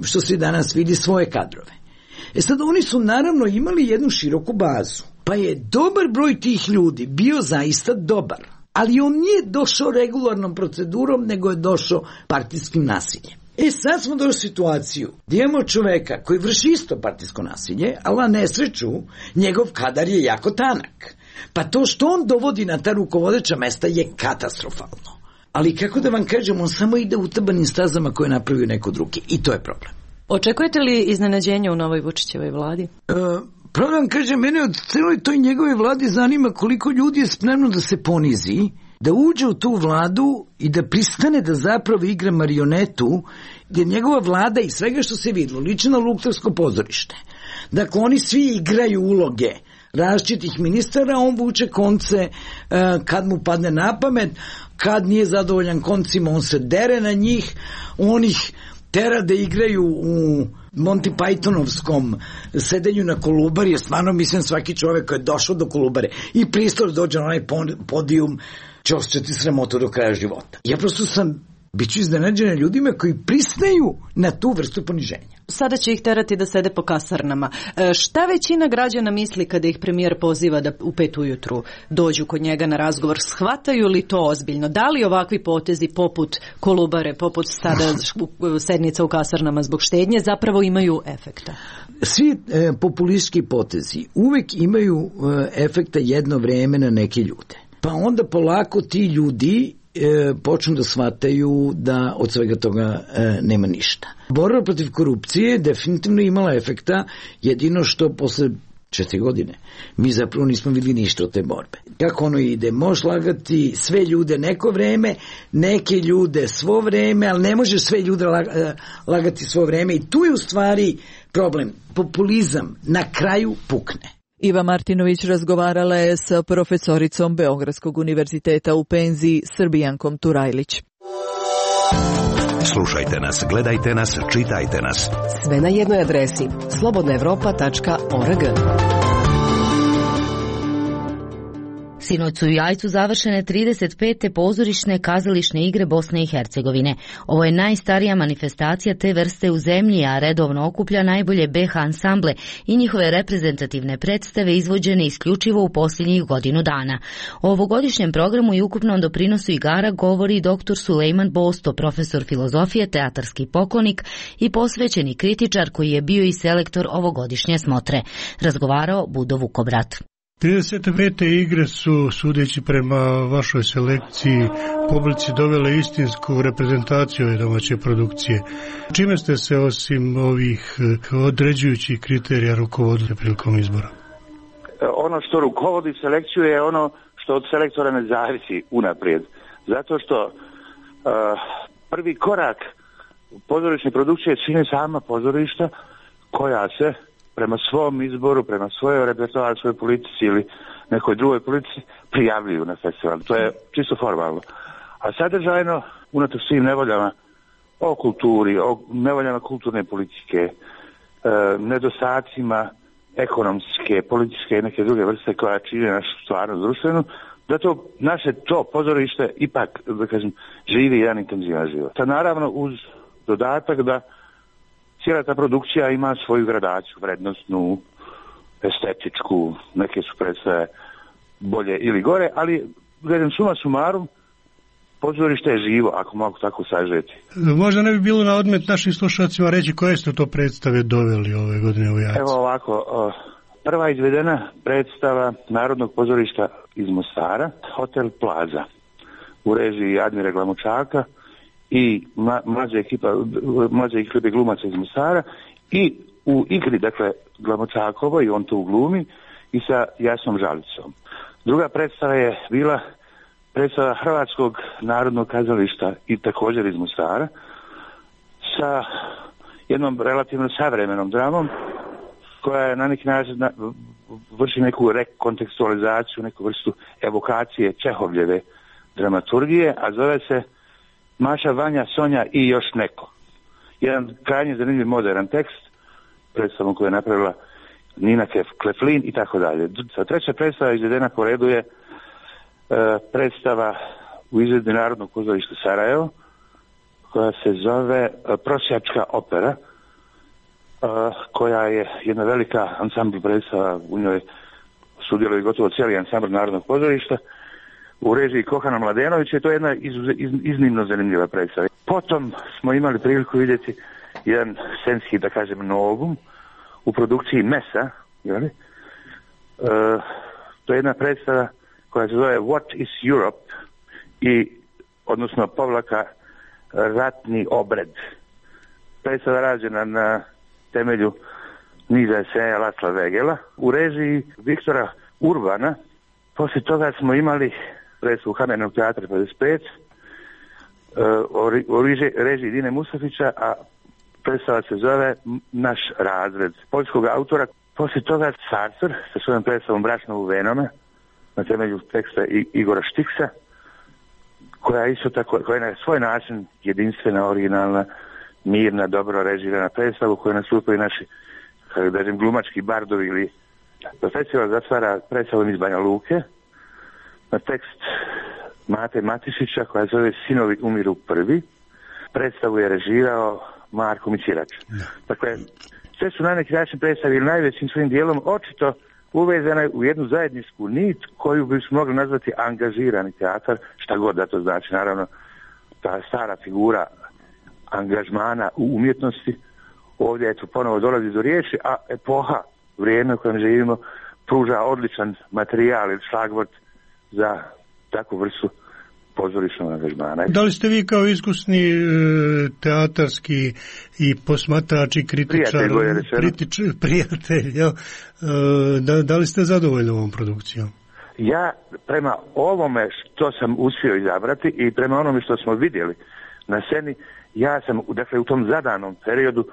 H: što se danas vidi, svoje kadrove. E sad, oni su naravno imali jednu široku bazu, pa je dobar broj tih ljudi bio zaista dobar, ali on nije došao regularnom procedurom, nego je došao partijskim nasiljem. E sad smo došli u situaciju gdje imamo čoveka koji vrši isto partijsko nasilje, ali na nesreću njegov kadar je jako tanak. Pa to što on dovodi na ta rukovodeća mesta je katastrofalno. Ali kako da vam kažem, on samo ide utabanim stazama koje napravio neko drugi i to je problem.
J: Očekujete li iznenađenje u novoj Vučićevoj vladi?
H: E, pravo da vam kažem, mene od celoj toj njegove vladi zanima koliko ljudi je spremno da se ponizi, da uđe u tu vladu i da pristane da zapravo igra marionetu, jer njegova vlada i svega što se vidilo liči na Luksemburško pozorište. Dakle, oni svi igraju uloge različitih ministara, on vuče konce uh, kad mu padne na pamet, kad nije zadovoljan koncima, on se dere na njih, on ih tera da igraju u Monty Pythonovskom sedenju na Kolubari, jer stvarno mislim svaki čovjek koji je došao do Kolubare i pristao da dođe na onaj podijum će osjećati sramotu do kraja života. Ja prosto sam biću iznenađena ljudima koji pristaju na tu vrstu poniženja.
J: Sada će ih terati da sede po kasarnama. E, šta većina građana misli kada ih premijer poziva da u pet ujutru dođu kod njega na razgovor? Shvataju li to ozbiljno? Da li ovakvi potezi poput Kolubare, poput sada sednica u kasarnama zbog štednje zapravo imaju efekta?
H: Svi e, populistički potezi uvek imaju e, efekta jedno vreme na neke ljude. Pa onda polako ti ljudi e, počnu da shvataju da od svega toga e, nema ništa. Borba protiv korupcije definitivno imala efekta, jedino što posle četiri godine mi zapravo nismo vidjeli ništa od te borbe. Kako ono ide? Možeš lagati sve ljude neko vreme, neke ljude svo vreme, ali ne možeš sve ljude lagati svo vreme i tu je u stvari problem. Populizam na kraju pukne.
A: Iva Martinović razgovarala je sa profesoricom Beogradskog univerziteta u penziji Srbijankom Turajlić.
B: Slušajte nas, gledajte nas, čitajte nas.
C: Sve na jednoj adresi slobodna evropa tačka org.
K: Sinoć su u Jajcu završene trideset pete pozorišne kazališne igre Bosne i Hercegovine. Ovo je najstarija manifestacija te vrste u zemlji, a redovno okuplja najbolje be ha ansamble i njihove reprezentativne predstave izvođene isključivo u posljednjih godinu dana. O ovogodišnjem programu i ukupnom doprinosu igara govori doktor Sulejman Bosto, profesor filozofije, teatarski poklonik i posvećeni kritičar koji je bio i selektor ovogodišnje smotre. Razgovarao Budo Vukobrat.
M: trideset pete igre su, sudeći prema vašoj selekciji, publici dovele istinsku reprezentaciju ove domaće produkcije. Čime ste se osim ovih određujućih kriterija rukovodili prilikom izbora?
N: Ono što rukovodi selekciju je ono što od selektora ne zavisi unaprijed. Zato što uh, prvi korak pozorišne produkcije čine sama pozorišta koja se prema svom izboru, prema svojoj repertoaru, svojoj politici ili nekoj drugoj politici prijavljuju na festival. To je čisto formalno. A sadržajno, unatoč svim nevoljama o kulturi, o nevoljama kulturne politike, e, nedostacima ekonomske, političke i neke druge vrste koja čine našu stvarnost društvenu, da to naše to pozorište ipak, da kažem, živi jedan intenzivan život. Ta naravno uz dodatak da cijela ta produkcija ima svoju gradaciju, vrednostnu, estetičku, neke su predstave bolje ili gore, ali gledam suma sumarum, pozorište je živo, ako mogu tako sažeti.
M: Možda ne bi bilo na odmet našim slušalcima reći koje ste to predstave doveli ove godine u Jajcu?
N: Evo ovako, prva izvedena predstava Narodnog pozorišta iz Mostara, Hotel Plaza, u režiji Admire Glamočaka i mlađe ekipa, mlađe ekipe glumaca iz Mostara i u igri, dakle, Glamočakovo i on to u glumi i sa Jasnom Žalicom. Druga predstava je bila predstava Hrvatskog narodnog kazališta i također iz Mostara sa jednom relativno savremenom dramom koja je na neki način na, vrši neku rekontekstualizaciju, neku vrstu evokacije Čehovljeve dramaturgije, a zove se Maša, Vanja, Sonja i još neko. Jedan krajnje zanimljiv modern tekst predstavom koju je napravila Nina Kleflin i tako dalje. Treća predstava izvedena po redu je e, predstava u izvedbi Narodnog pozorišta Sarajevo, koja se zove e, Prosjačka opera, e, koja je jedna velika ansambl predstava, u njoj sudjeluje gotovo cijeli ansambl Narodnog pozorišta, u režiji Kohana Mladenovića, i to je jedna iz, iz, iznimno zanimljiva predstava. Potom smo imali priliku vidjeti jedan scenski, da kažem, novum u produkciji Mesa, jeli? E, to je jedna predstava koja se zove What is Europe, i, odnosno povlaka Ratni obred. Predstava rađena na temelju niza eseja Lasla Vegela u režiji Viktora Urbana. Poslije toga smo imali predstavu Kamenog teatra pedeset pet u režiji Dine Mustafića, a predstava se zove Naš razred poljskog autora. Poslije toga Sartor sa svojom predstavom Brašno u venama na temelju teksta Igora Štiksa, koja isto tako, koja je na svoj način jedinstvena, originalna, mirna, dobro režirana predstava u kojoj nastupaju naši, kako da kažem, glumački bardovi. Ili festival zatvara predstavom iz Banja Luke na tekst Mate Matišića koja zove Sinovi umiru prvi. Predstavu je režirao Marko Micirač. Dakle, sve su na neki način predstavili najvećim svojim dijelom očito uvezane u jednu zajedničku nit koju bi smo mogli nazvati angažirani teatar, šta god da to znači. Naravno, ta stara figura angažmana u umjetnosti ovdje eto ponovo dolazi do riječi, a epoha, vrijeme u kojem živimo, pruža odličan materijal ili šlagvort za takvu vrstu pozorišnog angažmana.
M: Da li ste vi kao iskusni e, teatarski i posmatrač i kritičar, kritič, prijatelj, jel, e, da, da li ste zadovoljni ovom produkcijom?
N: Ja prema ovome što sam uspio izabrati i prema onome što smo vidjeli na sceni, ja sam dakle u tom zadanom periodu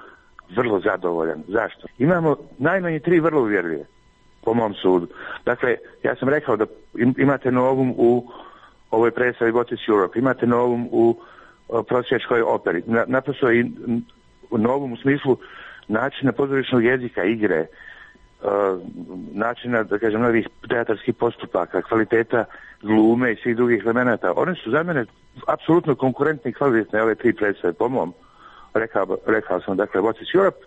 N: vrlo zadovoljan. Zašto? Imamo najmanje tri vrlo uvjerljive, po mom sudu. Dakle, ja sam rekao da imate novum u ovoj predstavi What is Europe, imate novum u prosječkoj operi. Na, naprosto i novum u smislu načina pozorišnog jezika, igre, uh, načina, da kažem, novih teatarskih postupaka, kvaliteta glume i svih drugih elemenata. One su za mene apsolutno konkurentne i kvalitetne ove tri predstave, po mom. Rekao, rekao sam, dakle, What is Europe,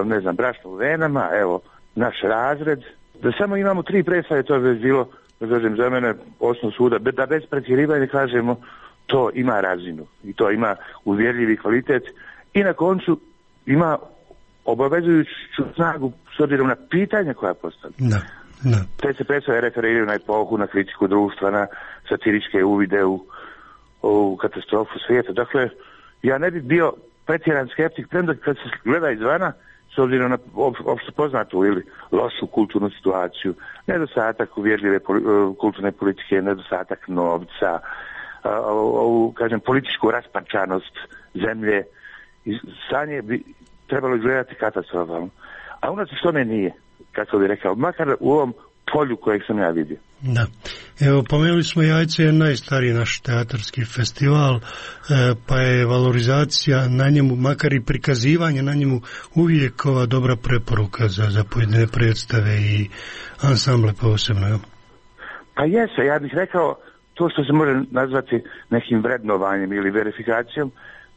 N: ne znam, Brašno u venama, evo, Naš razred. Da samo imamo tri predstave, to je bilo, da kažem, za mene osnov suda, da bez pretjerivanja kažemo, to ima razinu i to ima uvjerljivi kvalitet i na koncu ima obavezujuću snagu s obzirom na pitanja koja postavlja.
M: Da, da.
N: Te se predstave referiraju na epohu, na kritiku društva, na satiričke uvide u, u katastrofu svijeta. Dakle, ja ne bih bio pretjeran skeptik, premda kad se gleda izvana, s obzirom na opšte poznatu ili lošu kulturnu situaciju, nedostatak uvjerljive kulturne politike, nedostatak novca, ovu, kažem, političku raspačanost zemlje, stanje bi trebalo izgledati katastrofalno. A unatoč tome nije, kako bih rekao, makar u ovom polju kojeg sam ja vidio.
M: Da. Evo, pomenuli smo Jajce je najstariji naš teatarski festival, e, pa je valorizacija na njemu, makar i prikazivanje na njemu, uvijek ova dobra preporuka za, za pojedine predstave i ansamble posebno. Ja?
N: Pa jeste, ja bih rekao, to što se može nazvati nekim vrednovanjem ili verifikacijom,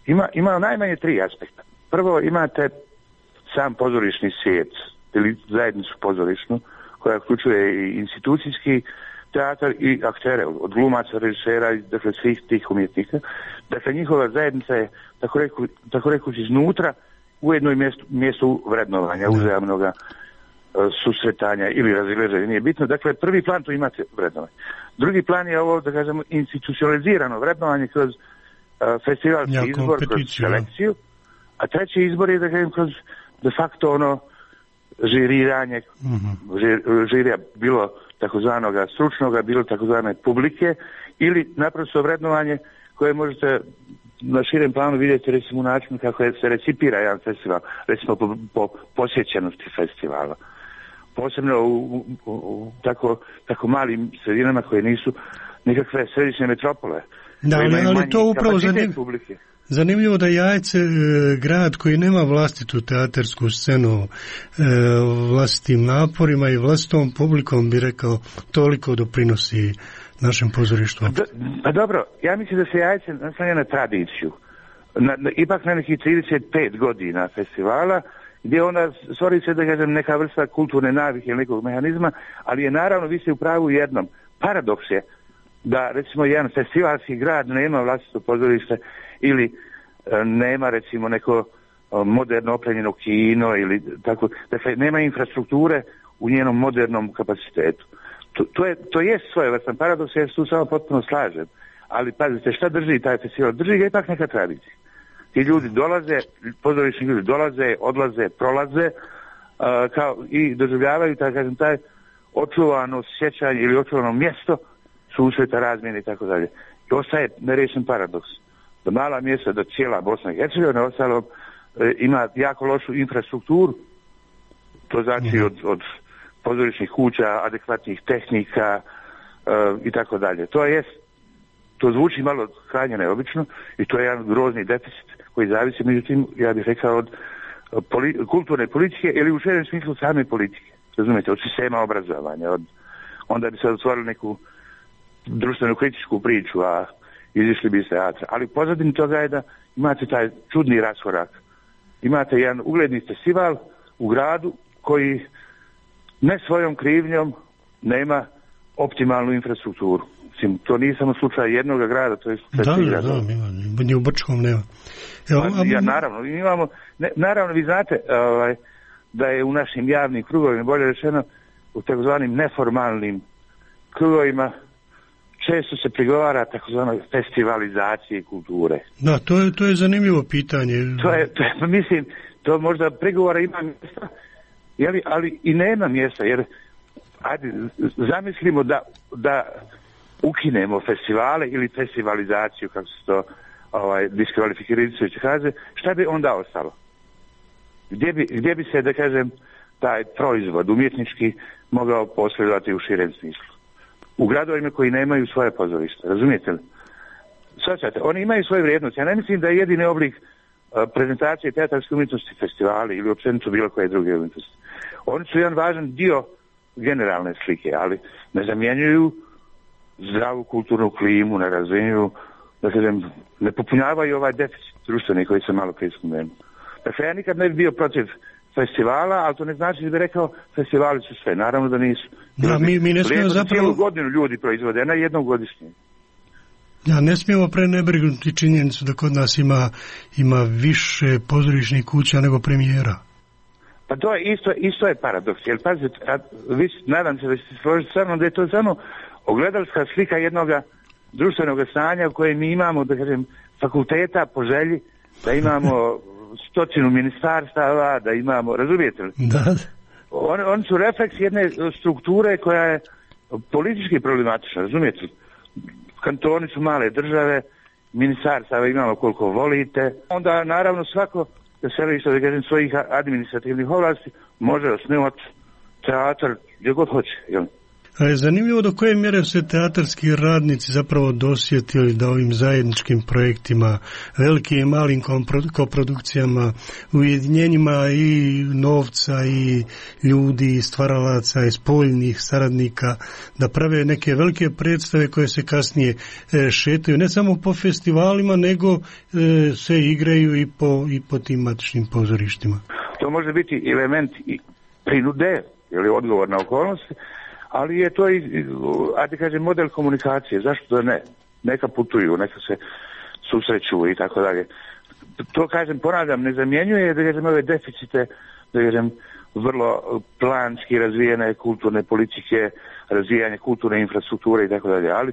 N: ima, ima najmanje tri aspekta. Prvo, imate sam pozorišni svijet ili zajednicu pozorišnu, koja uključuje i institucijski teatar i aktere, od glumaca, režisera, dakle svih tih umjetnika. Dakle, njihova zajednica je, tako, reku, tako rekući, iznutra ujedno i mjesto, mjesto vrednovanja, uzajamnoga uh, susretanja ili razilaženja, nije bitno. Dakle, prvi plan tu imate vrednovanje. Drugi plan je ovo, da kažemo, institucionalizirano vrednovanje kroz uh, festivalski ja, izbor, kroz selekciju, a treći izbor je, da kažem, kroz de facto ono žiriranje, mm-hmm. žir, žirija bilo takozvanoga stručnoga, bilo takozvane publike ili naprosto vrednovanje koje možete na širem planu vidjeti recimo u načinu kako se recipira jedan festival, recimo po, po posjećenosti festivala. Posebno u, u, u tako, tako malim sredinama koje nisu nikakve središnje metropole.
W: Da, ali, ali to upravo zanim, zanimljivo da Jajce, grad koji nema vlastitu teatarsku scenu, vlastitim naporima i vlastitom publikom, bi rekao, toliko doprinosi našem pozorištu.
N: Do, pa dobro, ja mislim da se Jajce naslanja na tradiciju. Na, na, ipak na nekih trideset pet godina festivala, gdje onda stvori se, da kažem, neka vrsta kulturne navike ili nekog mehanizma, ali je naravno, vi ste u pravu jednom. Paradoks je da, recimo, jedan festivalski grad nema vlastito pozorište ili e, nema, recimo, neko o, moderno opremljeno kino ili tako, dakle, nema infrastrukture u njenom modernom kapacitetu. To, to je, to je svojevrstan paradoks, ja se tu samo potpuno slažem. Ali, pazite, šta drži taj festival? Drži ga ipak neka tradicija. Ti ljudi dolaze, pozorišni ljudi dolaze, odlaze, prolaze uh, kao, i doživljavaju, tako kažem, taj očuvano sjećanje ili očuvano mjesto susreta, razmjene i tako dalje. I ostaje nerešen paradoks. Da mala mjesta, da cijela Bosna i Hercegovina ostalo e, ima jako lošu infrastrukturu. To znači od, od pozorišnih kuća, adekvatnih tehnika e, i tako dalje. To je, to zvuči malo krajnje neobično i to je jedan grozni deficit koji zavisi, međutim, ja bih rekao, od poli, kulturne politike ili u širem smislu same politike. Razumijete, od sistema obrazovanja. Od, onda bi se otvorili neku društvenu kritičku priču, a izišli bi iz teatra. Ali pozadini toga je da imate taj čudni raskorak. Imate jedan ugledni festival u gradu koji ne svojom krivnjom nema optimalnu infrastrukturu. Mislim, to nije samo slučaj jednog grada, to je slučaj svih gradova.
W: Da, da, ni u Brčkom nema. Evo,
N: pa, ja, naravno, imamo, ne, naravno, vi znate ovaj, da je u našim javnim krugovima, bolje rečeno, u takozvanim neformalnim krugovima, često se prigovara takozvanoj festivalizaciji kulture.
W: Da, to je, to je zanimljivo pitanje.
N: To je, to je, mislim, to možda prigovora ima mjesta, jeli, ali i nema mjesta, jer ajde, zamislimo da, da ukinemo festivale ili festivalizaciju, kako se to ovaj, diskvalifikajući kaže, šta bi onda ostalo? Gdje bi, gdje bi se, da kažem, taj proizvod umjetnički mogao posredovati u širem smislu? U gradovima koji nemaju svoje pozorište, razumijete li? Svačate, oni imaju svoje vrijednosti. Ja ne mislim da je jedini oblik uh, prezentacije teatarske umjetnosti festivali ili općenito bilo koje druge umjetnosti. Oni su jedan važan dio generalne slike, ali ne zamjenjuju zdravu kulturnu klimu, ne razvijenjuju, da kažem, ne popunjavaju ovaj deficit društveni koji sam malo prije spomenuo. Dakle, ja nikad ne bi bio protiv festivala, ali to ne znači da bi rekao festivali su sve, naravno da nisu.
W: Da, mi, mi ne smijemo zapravo...
N: Cijelu godinu ljudi proizvode, ne jednom godišnje.
W: Ja, ne smijemo prenebregnuti činjenicu da kod nas ima, ima više pozorišnih kuća nego premijera.
N: Pa to je isto, isto je paradoks, jer pazite, vi, nadam se da ćete se složiti sa mnom da je to samo ogledalska slika jednog društvenog stanja u kojem mi imamo, da kažem, fakulteta po želji, da imamo stotinu ministarstava, da imamo, razumijete li?
W: Da.
N: On, oni su refleks jedne strukture koja je politički problematična, razumijete li? Kantoni su male države, ministarstava imamo koliko volite, onda naravno svako da se što da kažem svojih administrativnih ovlasti može osnovati teatar gdje god hoće, jel?
W: Zanimljivo do koje mjere se teatarski radnici zapravo dosjetili da ovim zajedničkim projektima, velikim i malim koprodukcijama, ujedinjenjima i novca i ljudi, i stvaralaca, i spoljnih saradnika, da prave neke velike predstave koje se kasnije šetaju ne samo po festivalima, nego se igraju i po, i po tim matičnim pozorištima.
N: To može biti element i prinude ili odgovor na okolnosti, ali je to i, ajde kažem, model komunikacije. Zašto da ne? Neka putuju, neka se susreću i tako dalje. To, kažem, ponavljam, ne zamjenjuje, da kažem, ove deficite, da kažem, vrlo planski razvijene kulturne politike, razvijanje kulturne infrastrukture i tako dalje. Ali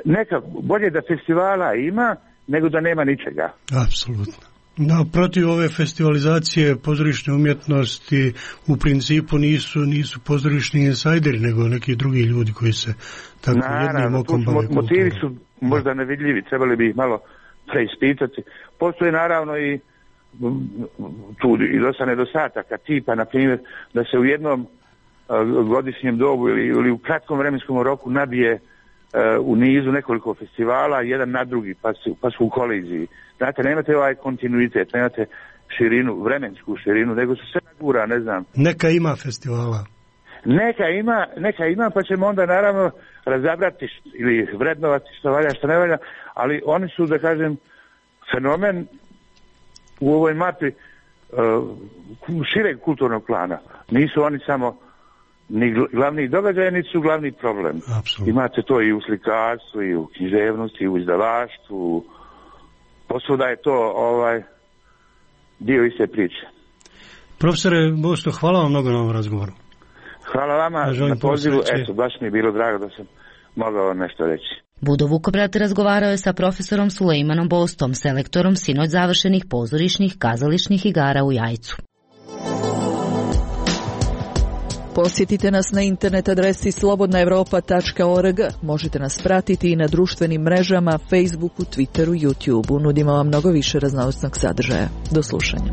N: neka, bolje da festivala ima, nego da nema ničega.
W: Apsolutno. Da, protiv ove festivalizacije pozorišne umjetnosti u principu nisu, nisu pozorišni insajderi, nego neki drugi ljudi koji se tako
N: naravno,
W: jednim okom bave kulturom.
N: Motivi su možda nevidljivi, trebali bi ih malo preispitati. Postoje naravno i tu i dosta nedostataka tipa, na primjer, da se u jednom uh, godišnjem dobu ili, ili u kratkom vremenskom roku nabije u nizu nekoliko festivala, jedan na drugi, pa su, pa su u koliziji. Znate, nemate ovaj kontinuitet, nemate širinu, vremensku širinu, nego su sve nagura, ne znam.
M: Neka ima festivala.
N: Neka ima, neka ima, pa ćemo onda naravno razabrati ili vrednovati što valja, što ne valja, ali oni su, da kažem, fenomen u ovoj mapi uh, šireg kulturnog plana. Nisu oni samo ni glavni događaj, niti su glavni problem.
M: Absolutno.
N: Imate to i u slikarstvu, i u književnosti, i u izdavaštvu. Posvuda je to ovaj dio iste priče.
M: Profesore Bosto, hvala vam mnogo na ovom razgovoru.
N: Hvala vama na pozivu. Eto, baš mi je bilo drago da sam mogao nešto reći.
K: Budo Vukobrat razgovarao je sa profesorom Sulejmanom Bostom, selektorom sinoć završenih pozorišnih kazališnih igara u Jajcu. Posjetite nas na internet adresi slobodna evropa tačka org. Možete nas pratiti i na društvenim mrežama, Facebooku, Twitteru, YouTubeu. Nudimo vam mnogo više raznovrsnog sadržaja. Do slušanja.